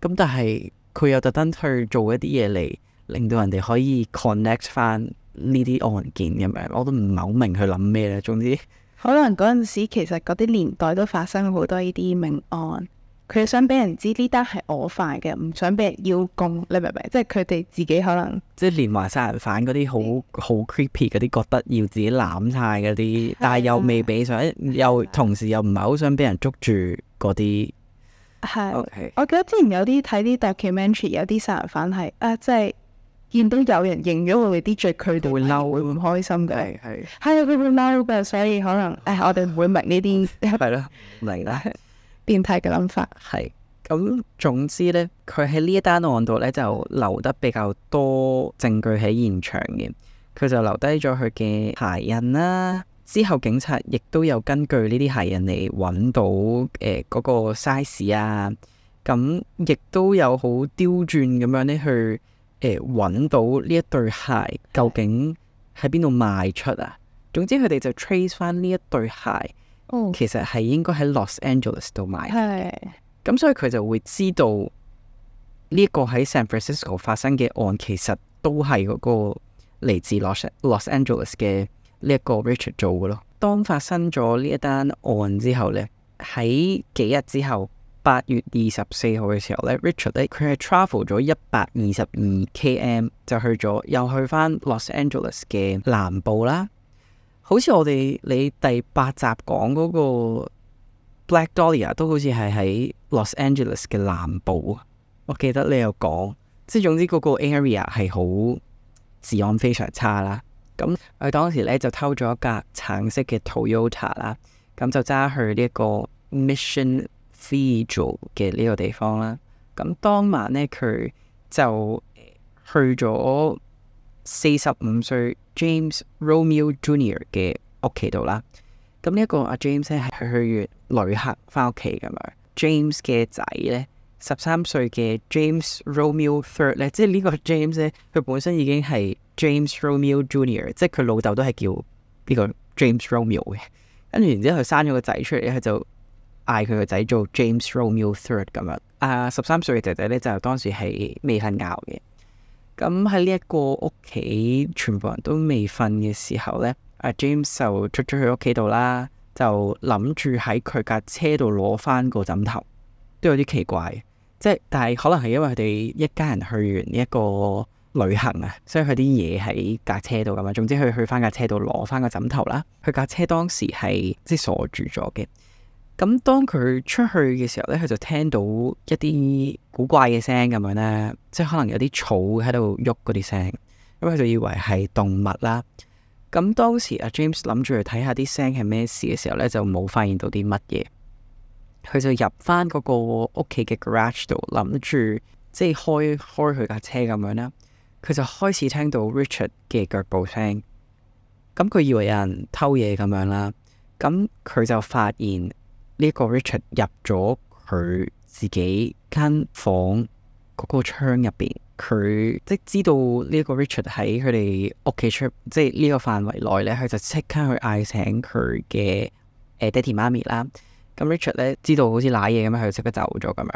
咁但係佢又特登去做一啲嘢嚟令到人哋可以 connect 翻呢啲案件咁樣，我都唔係好明佢諗咩咧。總之可能嗰陣時其實嗰啲年代都發生好多呢啲命案，佢想俾人知呢單係我犯嘅，唔想俾人邀功，你明唔明？即係佢哋自己可能即係連環殺人犯嗰啲好 creepy 嗰啲，覺得要自己攬晒嗰啲，但係又未俾上，又同時又唔係好想俾人捉住嗰啲。係，okay. 我記得之前有啲睇啲 documentary， 有啲殺人犯係即係見到有人認咗佢哋啲罪，佢哋會嬲，會唔開心嘅。係佢會嬲嘅，所以可能我哋唔會明呢啲係咯，明啦。變態嘅諗法係咁，總之呢，佢喺呢一單案度呢，就留得比較多證據喺現場嘅。佢就留低咗佢嘅鞋印啦。之後警察亦都有根據呢啲鞋印嚟揾到嗰個 size 啊。咁亦都有好刁鑽咁樣呢去揾到呢一對鞋究竟喺邊度賣出啊。總之佢哋就 trace 翻呢一對鞋。其實係應該喺 Los Angeles 度買嘅，咁所以佢就會知道呢一個喺 San Francisco 發生嘅案，其實都係嗰個嚟自 Los Angeles 嘅呢一個 Richard 做嘅咯。當發生咗呢一單案之後呢，喺幾日之後，8月24號嘅時候呢 Richard 咧佢係 travel 咗122 km 就又去翻 Los Angeles 嘅南部啦。好似我哋你第8集講嗰個 Black Dahlia 都好似係喺 Los Angeles 嘅南部，我記得你有講，即係總之嗰個 area 係好治安非常差啦。咁佢當時咧就偷咗一架橙色嘅 Toyota 啦，咁就揸去呢一個 Mission Village 嘅呢個地方啦。咁當晚咧佢就去咗45歲 James Romeo Jr. 嘅屋企度啦，咁呢一個阿 James 咧係去完旅行翻屋企咁樣。James 嘅仔咧13歲嘅 James Romeo Third 咧，即係呢個 James 咧，佢本身已經係 James Romeo Junior， 即係佢老豆都係叫呢個 James Romeo 嘅。跟住然之後佢生咗個仔出嚟，佢就嗌佢個仔做 James Romeo Third 咁樣。13歲嘅仔仔咧就當時係未瞓覺嘅。咁喺呢一個屋企全部人都未瞓嘅時候咧，阿 James 就出咗去屋企度啦，就諗住喺佢架車度攞翻個枕頭，都有啲奇怪。即係但係可能係因為佢哋一家人去完呢一個旅行啊，所以佢啲嘢喺架車度咁啊。總之佢去翻架車度攞翻個枕頭啦。佢架車當時係即係鎖住咗嘅。咁當佢出去嘅時候咧，佢就聽到一啲古怪嘅聲咁樣咧，即係可能有啲草喺度喐嗰啲聲。咁佢就以為係動物啦。咁當時阿 James 諗住去睇下啲聲係咩事嘅時候咧，就冇發現到啲乜嘢。佢就入翻嗰個屋企嘅 garage 度，諗住即係開佢架車咁樣啦。佢就開始聽到 Richard 嘅腳步聲。咁佢以為有人偷嘢咁樣啦。咁佢就發現呢個 Richard 入咗佢自己間房嗰個窗入邊。佢即知道呢個 Richard 喺佢哋屋企出，即係呢個範圍內咧，佢就即刻去嗌醒佢嘅爹哋媽咪啦。咁 Richard 咧知道好似瀨嘢咁樣，佢就即刻走咗咁樣。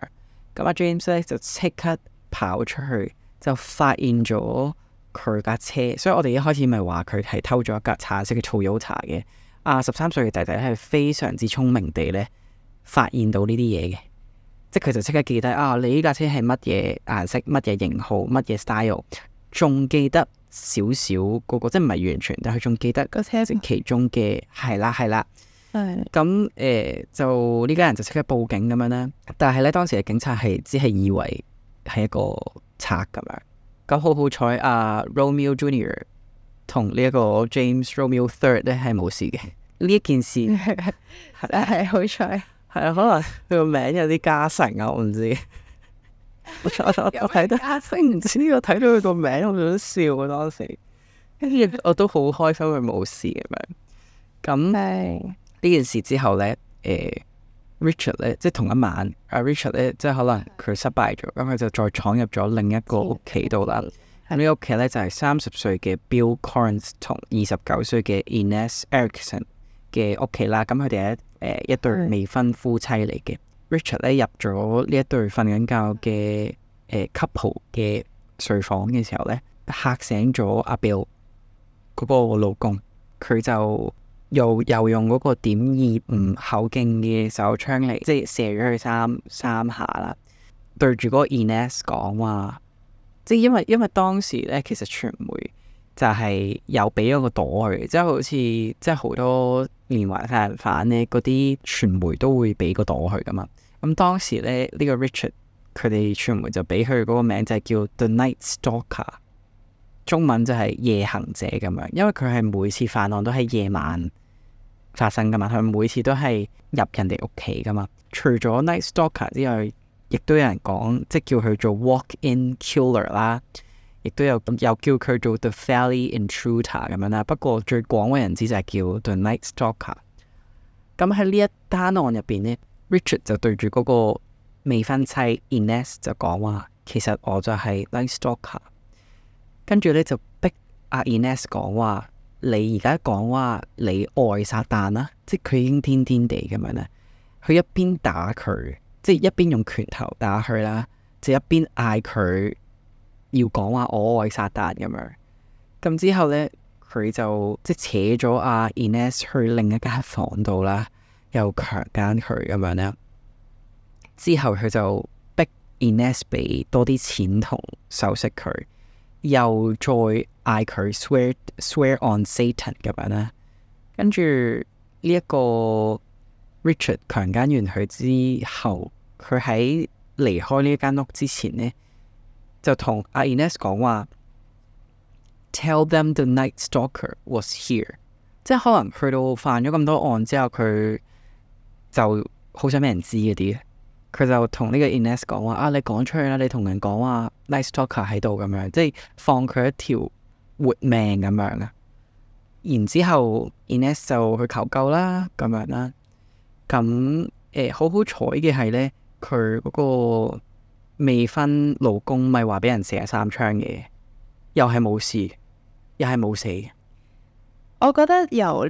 咁阿 James 咧就即刻跑出去，就發現咗佢架車。所以我哋一開始咪話佢係偷咗一架橙色嘅 Toyota 嘅。13歲嘅仔仔係非常之聰明地咧發現到呢啲嘢嘅。即係佢就即刻記得你呢架車係乜嘢顏色、乜嘢型號、乜嘢 style， 仲記得少少嗰個，即係唔係完全，但係佢仲記得個車其中嘅係啦。咁就呢家人就即刻報警咁樣啦。但係咧當時嘅警察只係以為係一個賊咁樣。咁好彩Romeo Junior 同呢一個 James Romeo Third 咧係冇事嘅。呢一件事係好彩。係啊，可能佢個名有啲加成啊，我唔知。我睇得加成，唔知呢個睇到佢個名，我想笑啊當時。跟住我都好開心佢冇事咁樣。咁呢件事之後咧，Richard 咧即係同一晚，Richard 咧即係可能佢失敗咗，咁佢就再闖入咗另一個屋企度啦。咁呢個屋企咧就係30歲嘅 Bill Correns 同29歲嘅 Ines Erickson 嘅屋企啦。咁佢哋一對未婚夫妻嚟嘅。Richard 咧入咗呢一對瞓緊覺嘅couple 嘅睡房嘅時候咧，嚇醒咗阿 Bill 嗰個老公。佢就又用嗰個.25口徑嘅手槍嚟，即係射咗佢三下啦。對住嗰個 Ines 講話，即係因為當時咧，其實傳媒就係有俾咗個朵佢，即係好似即係好多連環殺人犯咧，嗰啲傳媒都會俾個朵佢噶嘛。咁當時咧呢個 Richard 佢哋傳媒就俾佢嗰個名就係叫 The Night Stalker， 中文就係夜行者咁樣。因為佢係每次犯案都係夜晚發生噶嘛，佢每次都係入人哋屋企噶嘛。除咗 Night Stalker 之外，亦都有人講即係叫佢做 Walk-in Killer 啦。亦都有叫佢做 The Valley Intruder 咁樣啦。不過最廣為人知就係叫 The Night Stalker。咁喺呢一單案入邊呢， Richard 就對住嗰個未婚妻 Ines 就講話，其實我就係 Night Stalker。跟住咧就逼阿 Ines 講話，你而家講話你愛撒旦啦，即係佢已經癲癲地咁樣咧。佢一邊打佢，即係一邊用拳頭打佢啦，就一邊嗌佢要講話我愛撒旦咁樣。咁之後咧，佢就即係扯咗阿 Ines 去另一間房度啦，又強姦佢咁樣咧。之後佢就逼 Ines 俾多啲錢同首飾佢，又再嗌佢 swear on Satan 咁樣啦。跟住呢一個 Richard 強姦完佢之後，佢喺離開呢一間屋之前呢，就同阿 Ines 講話 Tell them the Night Stalker was here。 即係可能去到犯咗咁多案之後，佢就好想俾人知嗰啲。佢就同呢個 Ines 講話，你講出去啦，你同人講話 Night Stalker 喺度咁樣，即係放佢一條活命咁樣啊。然之後 Inez 就去求救啦，咁樣啦。咁好好彩嘅係呢，佢嗰個未婚老公咪話俾人射3槍嘅，又係冇事，又係冇死。我覺得由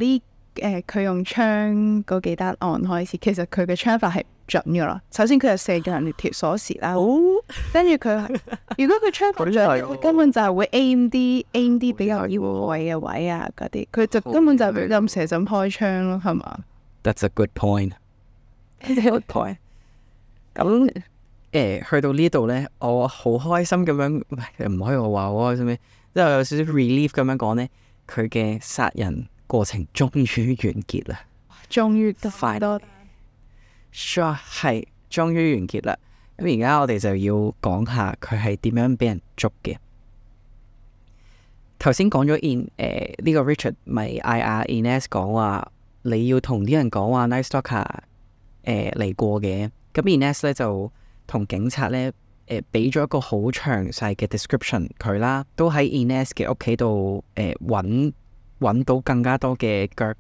佢用槍嗰幾單案開始，其實佢嘅槍法係唔準噶啦。首先佢係射人條鎖匙啦，跟住佢如果佢槍法準，佢根本就係會 aim 啲比較要位嘅位啊嗰啲，佢就根本就係咁射咁開槍咯，係嘛？That's a good point. Good point. 咁去到呢度呢，我好開心咁樣，唔可以我話我開心咩？即係有少少 relief 咁樣講呢，佢嘅殺人過程終於完結啦，終於多 Sure 係終於完結啦。咁而家我哋就要講下佢係點樣俾人捉嘅。頭先講咗呢個 Richard 咪嗌阿 Inez 講話，你要同啲人講話 Night Stalker 嚟過嘅。咁 Inez 咧就同警察咧俾咗一個好詳細嘅 description 佢啦，都喺 Inez 嘅屋企度揾到更加多嘅腳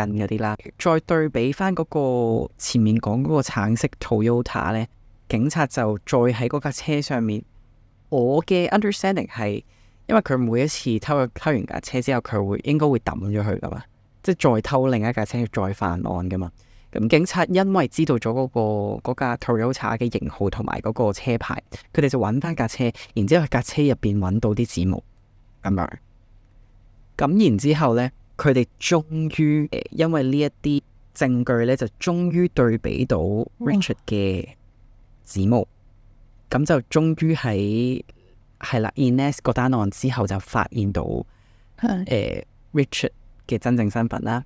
印嗰啲啦。再對比翻嗰個前面講嗰個橙色 Toyota 咧，警察就再喺嗰架車上面。我嘅 understanding 係，因為佢每一次偷完架車之後，佢應該會抌咗佢噶嘛，即係再偷另一架車再犯案噶嘛。咁警察因為知道咗嗰架 Toyota 嘅型號同埋嗰個車牌，佢哋就揾翻架車，然之後喺架車入邊揾到啲指模咁樣。咁然之後呢，佢哋終於因為呢一啲證據呢，就終於對比到 Richard 嘅指模，咁就終於係啦 Inez 嗰單案之後就發現到Richard 嘅真正身份啦。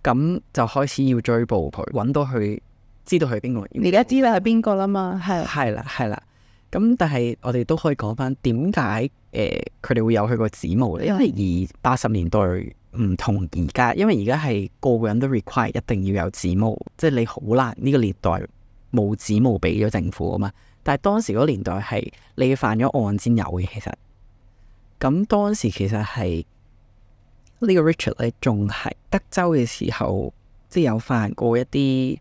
咁就開始要追捕佢，揾到佢，知道佢邊個。而家知道係邊個啦嘛，係啦。咁但係我哋都可以講翻點解佢哋會有佢個指模咧？因為80年代唔同而家，因為而家係個個人都 require 一定要有指模，即係你好難呢個年代冇指模俾咗政府啊嘛。但係當時嗰年代係你犯咗案先有嘅，其實。咁當時其實係呢個 Richard 咧，仲係德州嘅時候，即係有犯過一啲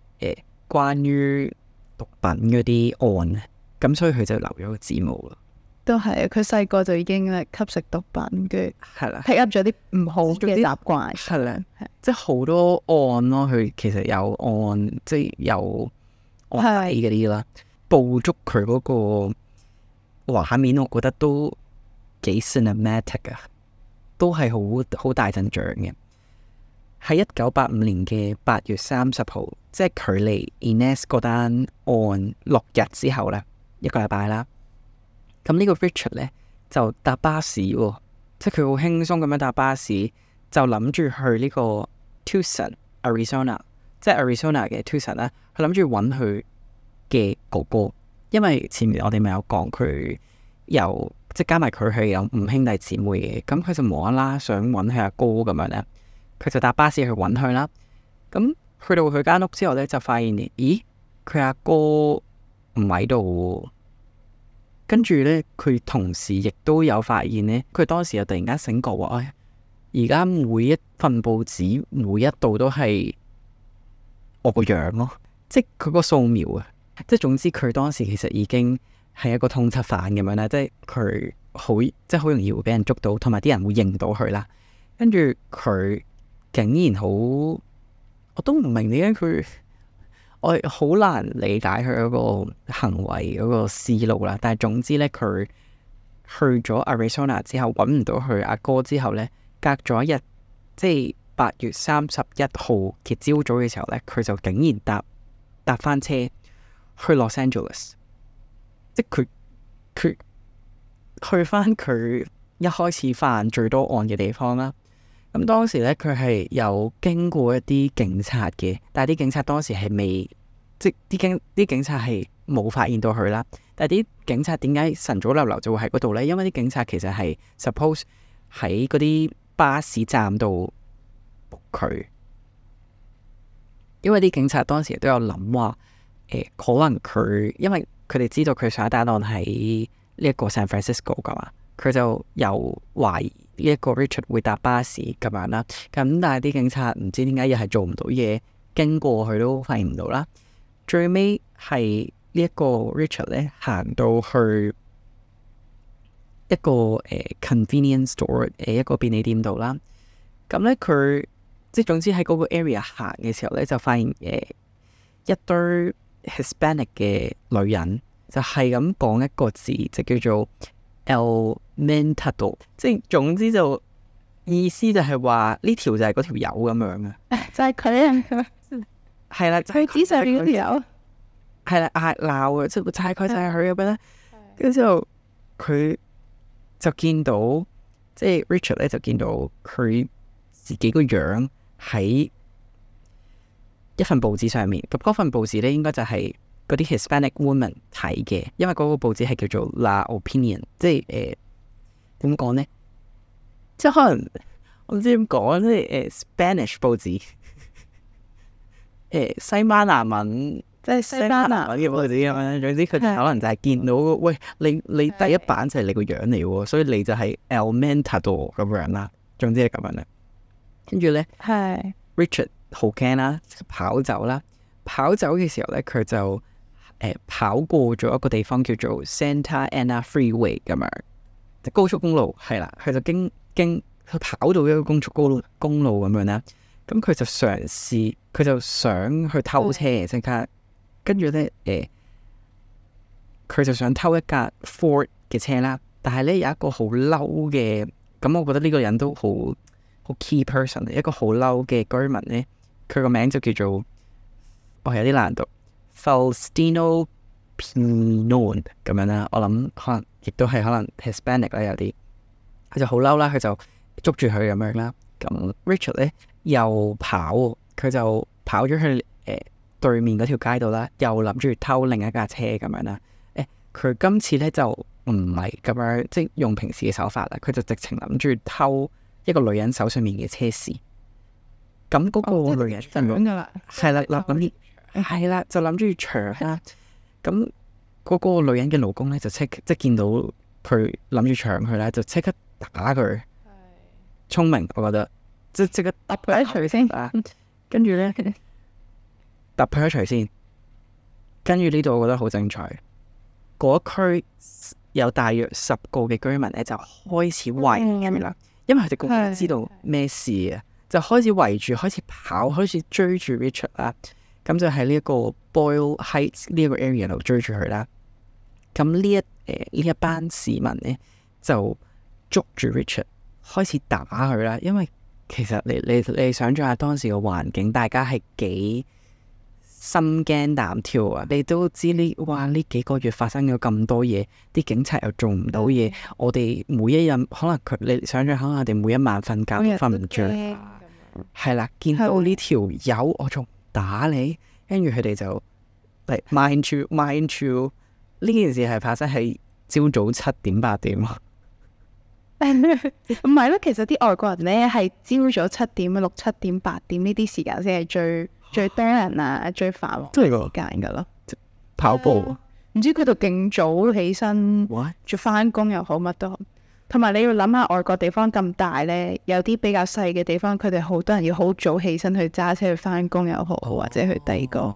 關於毒品嗰啲案。咁所以佢就留咗個指模咯。都係佢細個就已經吸食毒品，跟住係啦，pick up 咗啲唔好嘅習慣。係啦，即係好多案咯。佢其實有案，即係有案底嗰啲啦。捕捉佢嗰個畫面，我覺得都幾 cinematic 啊，都係好大陣仗嘅。喺1985年嘅8月30號，即係距離 Inez 嗰單案6日之後咧。1個禮拜啦，咁呢個 Richard 咧就搭巴士喎，即係佢好輕鬆咁樣搭巴士，就諗住去呢個 Tucson Arizona， 即係 Arizona 嘅 Tucson 啦。佢諗住揾佢嘅哥哥，因為前面我哋咪有講佢有即係加埋佢係有5兄弟姊妹嘅，咁佢就無啦啦想揾佢阿哥咁樣咧，佢就搭巴士去揾佢啦。咁去到佢間屋之後咧，就發現咦佢阿哥唔喺度，跟住呢，佢同時亦都有發現呢，佢當時又突然間醒覺話，而家每一份報紙每一度都係我個樣咯，即係佢個掃描啊，即係總之佢當時其實已經係一個通緝犯咁樣啦，即係佢好容易會俾人捉到，同埋啲人會認到佢啦。跟住佢竟然我都唔明點解佢。我好難理解佢嗰個行為嗰個思路啦，但係總之呢，佢去咗 Arizona 之後揾唔到佢阿哥之後呢，隔咗一日，即係8月31號嘅朝早嘅時候呢，佢就竟然搭翻車去 Los Angeles， 即係佢去翻佢一開始犯最多案嘅地方啦。咁當時咧，佢係有經過一啲警察嘅，但係啲警察當時係未，即係啲警察係冇發現到佢啦。但係啲警察點解晨早流流就會喺嗰度呢？因為啲警察其實係 suppose 喺嗰啲巴士站度捕佢，因為啲警察當時都有諗話，可能佢因為佢哋知道佢上一單案喺呢一個 San Francisco 噶嘛，佢就有懷疑。一個 Richard 會搭巴士咁樣啦。咁但係啲警察唔知點解又係做唔到嘢，經過佢都發現唔到啦。最尾係呢一個 Richard 咧行到去一個convenience store 一個便利店度啦。咁咧佢即係總之喺嗰個 area 行嘅時候咧，就發現一堆 Hispanic 嘅女人就係咁講一個字，就叫做 El Mentado， 即係總之就意思就係話呢條就係嗰條友咁樣啊，就係佢啊，係啦，佢指上面嗰條友，係啦，嗌鬧啊，即係就係佢就係佢咁樣咧，跟住之後佢就見到即係 Richard 咧就見到佢自己個樣喺一份報紙上面，咁嗰份報紙咧應該就係嗰啲 Hispanic woman 睇嘅，因為嗰個報紙係叫做 La Opinion， 即係點講咧？即係可能我唔知點講，即係Spanish 報紙，西班牙文，即係西班牙文嘅報紙咁樣。總之佢哋可能就係見到，喂，你第一版就係你個樣嚟喎，所以你就係 El Mentado 咁樣啦。總之係咁樣啦。跟住咧，Richard 好驚啦，跑走啦。跑走嘅時候咧，佢就跑過咗一個地方叫做 Santa Ana Freeway 咁樣，即高速公路係啦。佢就經佢跑到一個高速公路咁樣啦。咁佢就嘗試，佢就想去偷車即刻。跟住咧，佢就想偷一架 Ford 嘅車啦。但係咧有一個好嬲嘅，咁我覺得呢個人都好 key person， 一個好嬲嘅居民咧，佢個名就叫做，有啲難讀 Faustino Pinon 咁樣啦。我諗可能亦都係可能 Hispanic 啦，有啲佢就好嬲啦，佢就捉住佢咁樣啦。咁 Richard 咧又跑，佢就跑咗去對面嗰條街度啦，又諗住偷另一架車咁樣啦。佢今次咧就唔係咁樣，即係用平時嘅手法啦，佢就直情諗住偷一個女人手上面嘅車匙。咁嗰個女人就搶噶啦，係啦，諗係啦，就諗住搶啦。咁嗰個女人嘅老公咧就即見到佢諗住搶佢咧，就即刻打佢。聰明，我覺得即刻揼佢一錘先。跟住咧揼佢一錘先。跟住呢度我覺得好精彩。嗰區有大約10個嘅居民咧，就開始圍住啦，因為佢哋個個知道咩事啊，就開始圍住，開始跑，開始追住 Richard 啦。咁就喺呢一個 Boyle Heights 呢一個 area 度追住佢啦。咁呢一班市民咧就捉住 Richard，開始打佢啦。因為其實你想象下當時嘅環境，大家係幾心驚膽跳啊！你都知呢幾個月發生咗咁多嘢，啲警察又做唔到嘢，我哋每一日可能你想象下，我哋每一晚瞓覺都瞓唔着，係啦，見到呢條友我仲打你，跟住佢哋就嚟 mind you 呢件事係發生喺朝早7點8點啊。唔係咯，其實啲外國人咧係朝早7點、6、7點、8點呢啲時間先係最多人啊，最繁忙嘅時間噶咯。跑步唔知佢度勁早起身，做翻工又好，乜都好。同埋你要諗下，外國地方咁大咧，有啲比較細嘅地方，佢哋好多人要好早起身去揸車去翻工又好，或者去第二個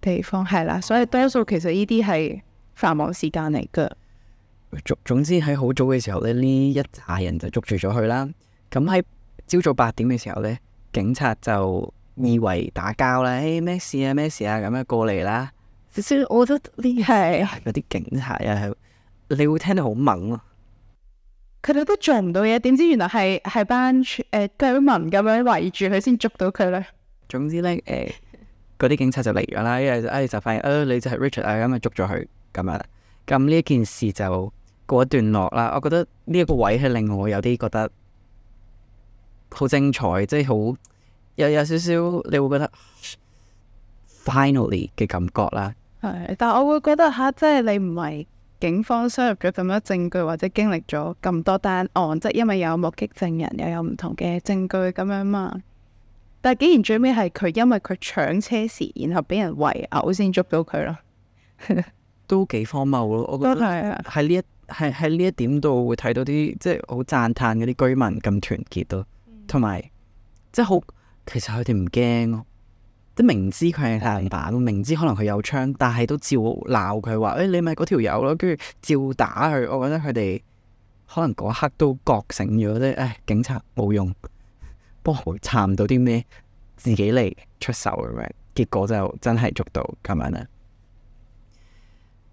地方係啦。所以多數其實呢啲係繁忙時間嚟噶。總之喺好早嘅時候咧，呢一紮人就捉住咗佢啦。咁喺朝早8點嘅時候咧，警察就以為打交啦，咩事啊咁樣過嚟啦。所以我覺得呢係嗰啲警察啊，你會聽到好猛咯。佢哋都做唔到嘢，點知原來係班居民咁樣圍住佢先捉到佢咧。總之咧，嗰啲警察就嚟咗啦，因為就發現你就係 Richard 啊，咁咪捉咗佢咁啊。咁呢一件事就過一段落啦。我覺得呢一個位係令我有啲覺得好精彩，即係好有少少你會覺得 finally 嘅感覺啦。係，但係我會覺得即係你唔係警方收入咗咁多證據，或者經歷咗咁多單案，即係因為有目擊證人，又有唔同嘅證據咁樣嘛。但係竟然最尾係佢因為佢搶車時，然後俾人圍毆先捉到佢咯。都幾荒謬咯，我覺得係喺呢一點度會睇到啲即係好讚歎嗰啲居民咁團結咯，同埋即係好其實佢哋唔驚咯，即係明知佢係太陽板，明知可能佢有槍，但係都照鬧佢話你咪嗰條友咯，跟住照打佢。我覺得佢哋可能嗰刻都覺醒咗，即係警察冇用，不過查唔到啲咩，自己嚟出手咁樣，結果就真係捉到咁樣啦。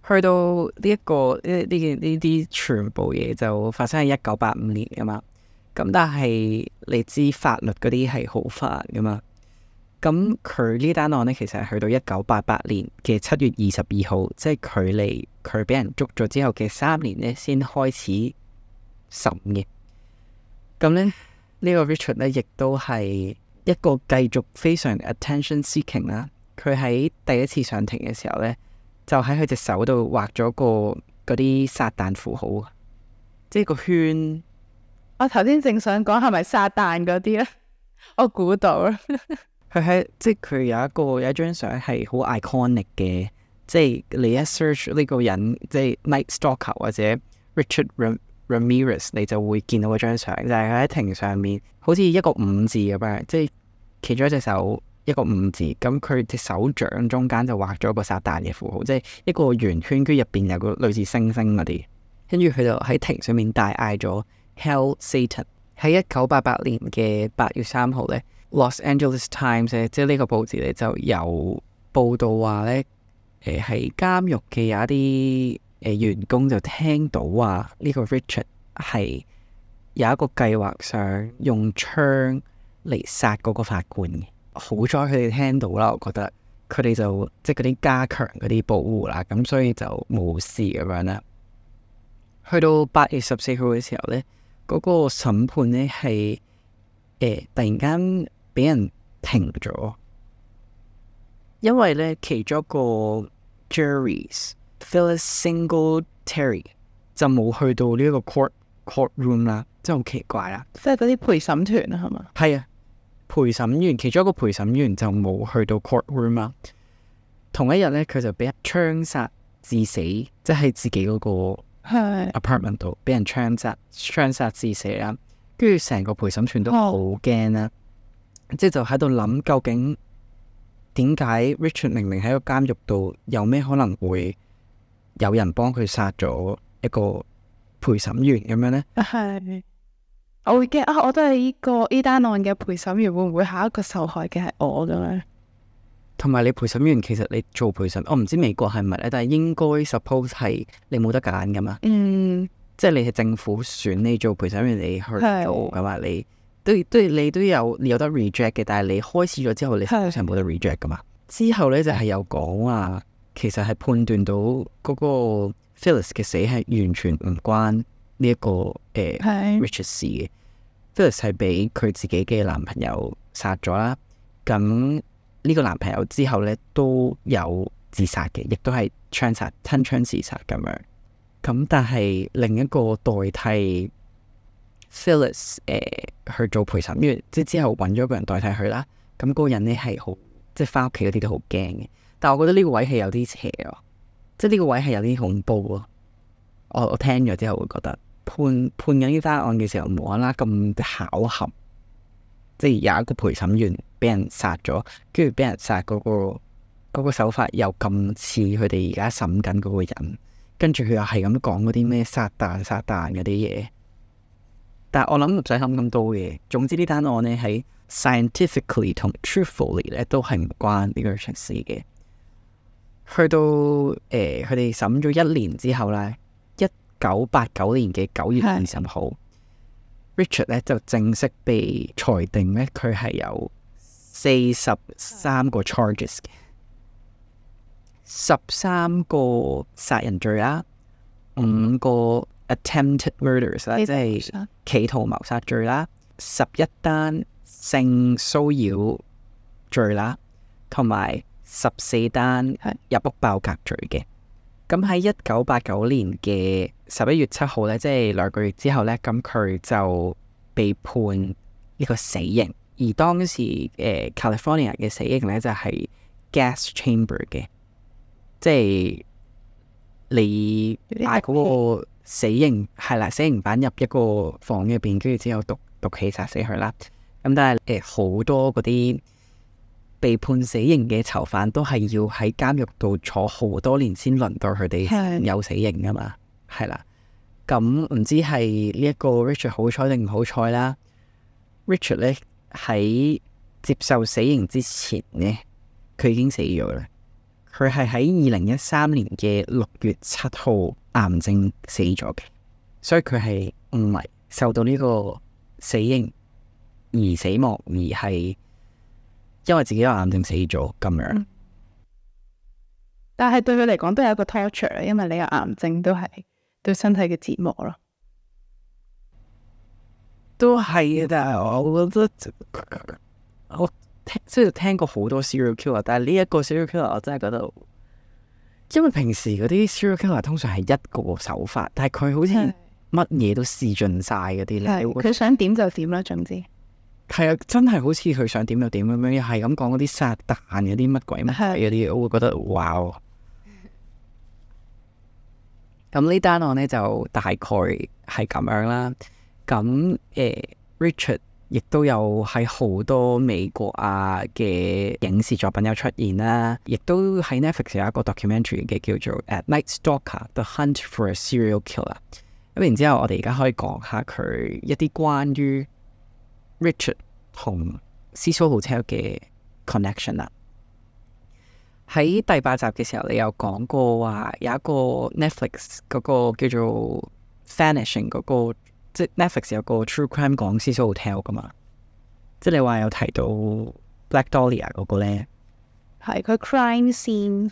去到呢一個呢啲全部嘢就發生喺1985年噶嘛，咁但係你知法律嗰啲係好煩噶嘛，咁佢呢單案呢，其實係去到1988年嘅7月22號，即係距離佢俾人捉咗之後嘅3年呢，先開始審嘅。咁呢，呢個 Richard 呢，亦都係一個繼續非常 attention seeking 啦。佢喺第一次上庭嘅時候呢，就喺佢隻手度畫咗嗰啲撒旦符號，即係個圈。我頭先正想講係咪撒旦嗰啲咧？我估到啦。即係佢有一張相係好 iconic 嘅，即係你一 search 呢個人，即係 Night Stalker 或者 Richard Ramirez， 你就會見到嗰張相，就係佢喺庭上面，好似一個5字咁樣，即係企咗一隻手一個5字，咁佢隻手掌中間就畫咗個撒旦嘅符號，即係一個圓圈，跟住入邊有個類似星星嗰啲，跟住佢就喺庭上面大嗌咗 Hail Satan。喺1988年嘅8月3號咧，Los Angeles Times 咧，即係呢個報紙咧就有報道話咧，喺監獄嘅有一啲員工就聽到話呢個 Richard 係有一個計劃想用槍嚟殺嗰個法官嘅。好在佢哋聽到啦，我覺得佢哋就即係嗰啲加強嗰啲保護啦，咁所以就冇事咁樣啦。去到8月14號嘅時候咧，嗰個審判呢係突然間俾人停咗，因為呢其中一個 juries Phyllis Singletary 就冇去到呢一個 courtroom 啦，真係好奇怪啦。即係嗰啲陪審團啊，係嘛？係啊，陪審員其中一個陪審員就冇去到 courtroom 啦。同一日呢，佢就俾人槍殺致死，即係自己嗰個 apartment 度俾人槍殺致死啦，跟住成個陪審團都好驚啦，即係就喺度諗究竟點解 Richard 明明喺個監獄度，有咩可能會有人幫佢殺咗一個陪審員咁樣呢？係，我會驚啊！我都係呢單案嘅陪審員，會唔會下一個受害嘅係我咁樣？同埋你陪審員，其實你做陪審，我唔知美國係咪咧，但係應該 suppose 係你冇得揀噶嘛。即係你係政府選你做陪審員，你去做噶嘛，你都有得 reject 嘅，但係你開始咗之後，你係冇得 reject 噶嘛。之後咧就係有講話，其實係判斷到嗰個 Phyllis 嘅死係完全唔關呢一個Richard 事嘅。Phyllis 係俾佢自己嘅男朋友殺咗啦，咁。呢個男朋友之後咧都有自殺嘅，亦都係吞槍自殺咁樣。咁但係另一個代替 Phyllis 去做陪審員，即係之後揾咗個人代替佢啦。咁嗰個人咧係好，即係翻屋企嗰啲都好驚嘅。但係我覺得呢個位係有啲邪啊，即係呢個位係有啲恐怖啊。我聽咗之後會覺得判緊呢單案嘅時候，無啦啦咁巧合。即係有一個陪審員俾人殺咗，跟住俾人殺嗰個手法又咁似佢哋而家審緊嗰個人，跟住佢又係咁講嗰啲咩撒旦嗰啲嘢。但係我諗唔使諗咁多嘢。總之呢單案呢，喺 scientifically 同 truthfully 咧都係唔關呢個事嘅。去到佢哋審咗1年之後咧，1989年嘅9月20號。Richard 咧就正式被裁定咧，佢係有43個 charges 嘅，13個殺人罪啦，5個 attempted murders 啦，即係企圖謀殺罪啦，11單性騷擾罪啦，同埋14單入屋爆格罪嘅。咁喺1989年嘅11月7號咧，即係2個月之後咧，咁佢就被判呢個死刑。而當時California 嘅死刑咧就係 gas chamber 嘅，即係你嗌嗰個死刑係啦，死刑犯入一個房入邊，跟住之後毒氣殺死佢啦。咁但係好多嗰啲被判死刑嘅囚犯都係要喺監獄度坐好多年先輪到佢哋有死刑噶嘛，係啦。咁唔知係呢一個 Richard 好彩定唔好彩啦。Richard 咧喺接受死刑之前呢，佢已經死咗啦。佢係喺2013年嘅6月7號癌症死咗嘅，所以佢係唔係受到呢個死刑而死亡，而係因為自己有癌症死咗咁樣。但係對佢嚟講都係一個 torture， 因為你有癌症都係對身體嘅折磨咯。都係嘅，但係我覺得我雖然聽過好多 serial killer， 但係呢一個 serial killer 我真係覺得，因為平時嗰啲 serial killer 通常係一個手法，但係佢好似乜嘢都試盡晒嗰啲咧。佢想點就點啦，總之係啊，真係好似佢想點就點咁樣，又係咁講嗰啲撒旦嗰啲乜鬼乜鬼嗰啲，我會覺得哇！咁呢單案呢，就大概係咁樣啦。咁Richard 亦都有喺好多美國嘅影視作品有出現啦，亦都喺 Netflix 有一個 documentary 嘅叫做《Night Stalker: The Hunt for a Serial Killer》。咁然之後，我哋而家可以講下佢一啲關於 Richard 同 Cecil Hotel 嘅 connection 啦。喺第8集嘅時候，你有講過話有一個 Netflix 嗰個叫做 Vanishing 嗰個，即係 Netflix 有個 True Crime 講 Cecil Hotel 噶嘛？即係你話有提到 Black Dahlia 嗰個咧，係佢 crime scene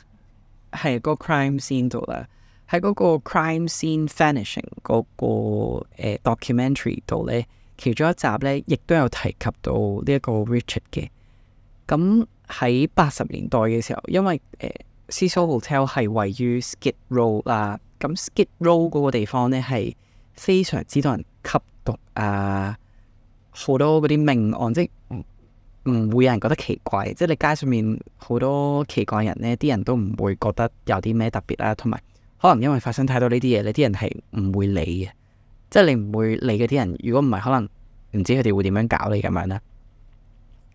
係嗰個 crime scene 度啦。喺嗰個 crime scene Vanishing 嗰個documentary 度咧，其中一集咧亦都有提及到呢一個 Richard 嘅。咁喺80年代嘅時候，因為Cecil Hotel 係位於 Skid Row 啦，咁 Skid Row 嗰個地方咧係非常之多人吸毒啊，好多嗰啲命案，即係唔會有人覺得奇怪，即係你街上面好多奇怪人咧，啲人都唔會覺得有啲咩特別啦，同埋可能因為發生太多呢啲嘢，你啲人係唔會理嘅，即係你唔會理嗰啲人，如果唔係，可能唔知佢哋會點樣搞你咁樣啦。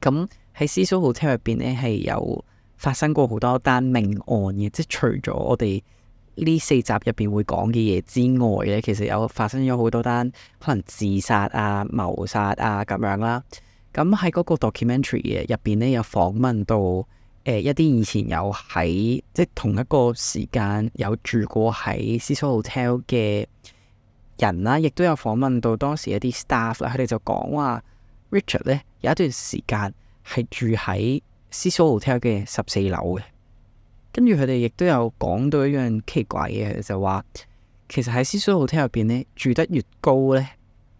咁喺 Cecil Hotel 入邊咧，係有發生過好多單命案嘅，即係除咗我哋呢4集入邊會講嘅嘢之外咧，其實有發生咗好多單可能自殺啊、謀殺啊咁樣啦。咁喺嗰個 documentary 嘅入邊咧，有訪問到一啲以前有喺即係同一個時間有住過喺 Cecil Hotel 嘅人啦，亦都有訪問到當時一啲 staff 啦，佢哋就講話 Richard 咧有一段時間係住喺 Cecil Hotel 嘅14樓嘅。跟住佢哋亦都有講到一樣奇怪嘅，就話其實喺 Cecil Hotel 入邊咧，住得越高咧，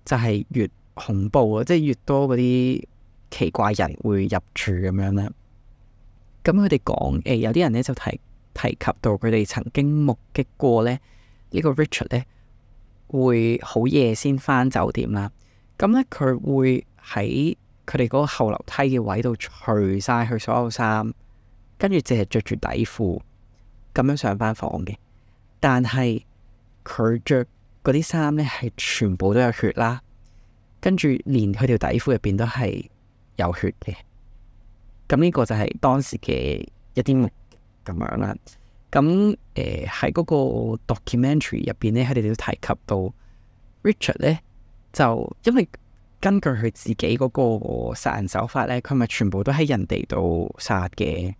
就係越恐怖啊！即係越多嗰啲奇怪人會入住咁樣啦。咁佢哋講有啲人咧就提及到佢哋曾經目擊過咧呢個 Richard 咧會好夜先返酒店啦。咁咧佢會喺佢哋嗰個後樓梯嘅位度除晒佢所有衫，跟住淨係着住底褲咁樣上翻房嘅。但係佢着嗰啲衫咧係全部都有血啦，跟住連佢條底褲入邊都係有血嘅。咁呢個就係當時嘅一啲咁樣啦。咁喺嗰個 documentary 入邊咧，佢哋都提及到 Richard 咧，就因為根據佢自己嗰個殺人手法咧，佢咪全部都喺人哋度殺嘅，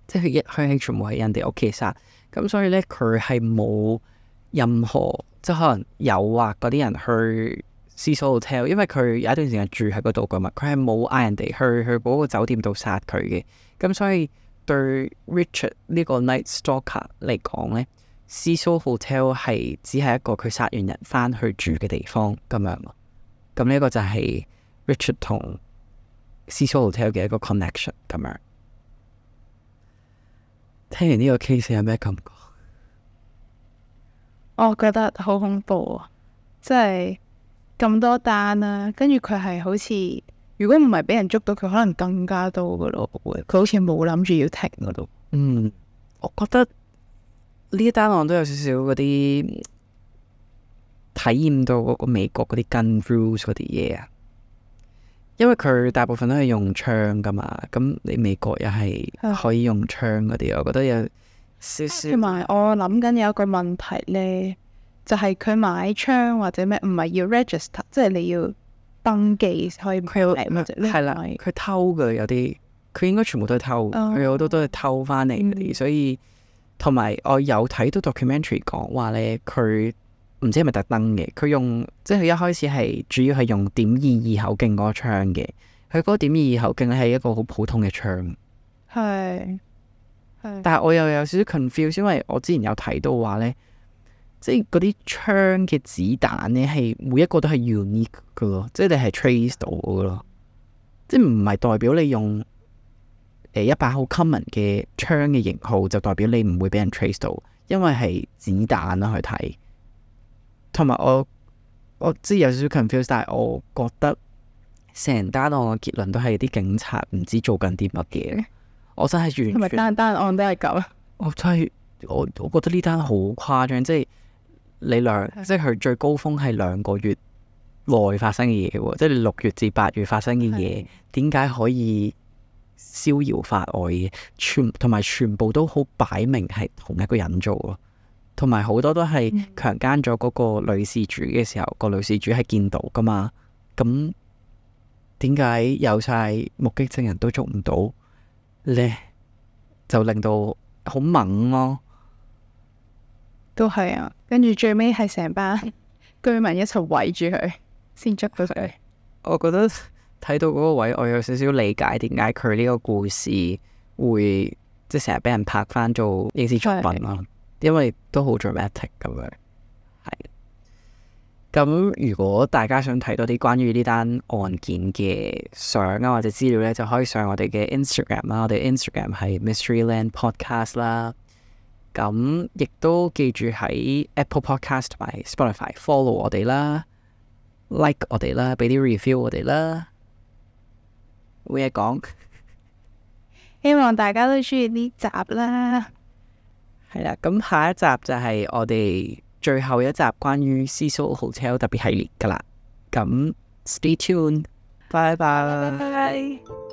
即係佢係全部喺人哋屋企殺。咁所以咧，佢係冇任何即係可能誘惑嗰啲人去Cecil Hotel，因為佢有一段時間住喺嗰度噶嘛，佢係冇嗌人哋去嗰個酒店度殺佢嘅。咁所以對 Richard 呢個 Night Stalker 嚟講咧，Cecil Hotel 係只係一個佢殺完人翻去住嘅地方咁樣咯。咁呢個就係 Richard 同 Cecil Hotel 嘅一個 connection 咁樣。聽完呢個 case 有咩感覺？我覺得好恐怖啊！即係咁多單啦，跟住佢係好似如果唔係俾人捉到，佢可能更加多噶咯。佢好似冇諗住要停嗰度。我覺得呢一單案都有少少嗰啲體驗到嗰個美國嗰啲 gun rules 嗰啲嘢啊。因為佢大部分都係用槍噶嘛，咁你美國又係可以用槍嗰啲，我覺得有少少。同埋我諗緊有一個問題呢，就係佢買槍或者咩唔係要 register，即係你要登記可以買或者係啦，佢偷嘅有啲，佢應該全部都係偷，佢好多都係偷翻嚟嗰啲，所以同埋我有睇到 documentary 講話呢，佢唔知係咪特登嘅，佢用即係佢一開始係主要係用.22口徑嗰個槍嘅，佢嗰個.22口徑咧係一個好普通嘅槍，係，但係我又有少少 confuse，因為我之前有睇到話呢，即係嗰啲槍嘅子彈呢係每一個都係 unique 嘅咯，即係你係 trace 到嘅咯，即係唔係代表你用一把好 common 嘅槍嘅型號就代表你唔會俾人 trace 到，因為係子彈啦去睇。同埋我知有少少 confused， 但係我覺得成單案嘅結論都係啲警察唔知做緊啲乜嘢。我真係完全，同埋單案都係咁。我真係我覺得呢單好誇張，即係你即係佢最高峰係2個月內發生嘅嘢喎，即係你6月至8月發生嘅嘢，點解可以逍遙法外嘅？同埋全部都好擺明係同一個人做咯。同埋好多都係強姦咗嗰個女事主嘅時候，個女事主係見到噶嘛？咁點解有晒目擊證人都捉唔到咧？就令到好猛咯。都係啊，跟住最尾係成班居民一齊圍住佢，先捉到佢。我覺得睇到嗰個位，我有少少理解點解佢呢個故事會即係成日俾人拍翻做影視作品咯。因為都好 dramatic 咁樣，係。咁如果大家想睇多啲關於呢單案件嘅相啊或者資料呢，就可以上我哋嘅 Instagram 啦。我哋 Instagram 係 Mysteryland Podcast 啦。咁亦都記住喺 Apple Podcast 同埋 Spotify follow 我哋啦，like 我哋啦，俾啲 review 我哋啦。冇嘢講，希望大家都中意呢集啦。係啦，咁下一集就係我哋最後一集關於 Cecil Hotel 特別系列噶啦，咁 stay tuned，拜拜。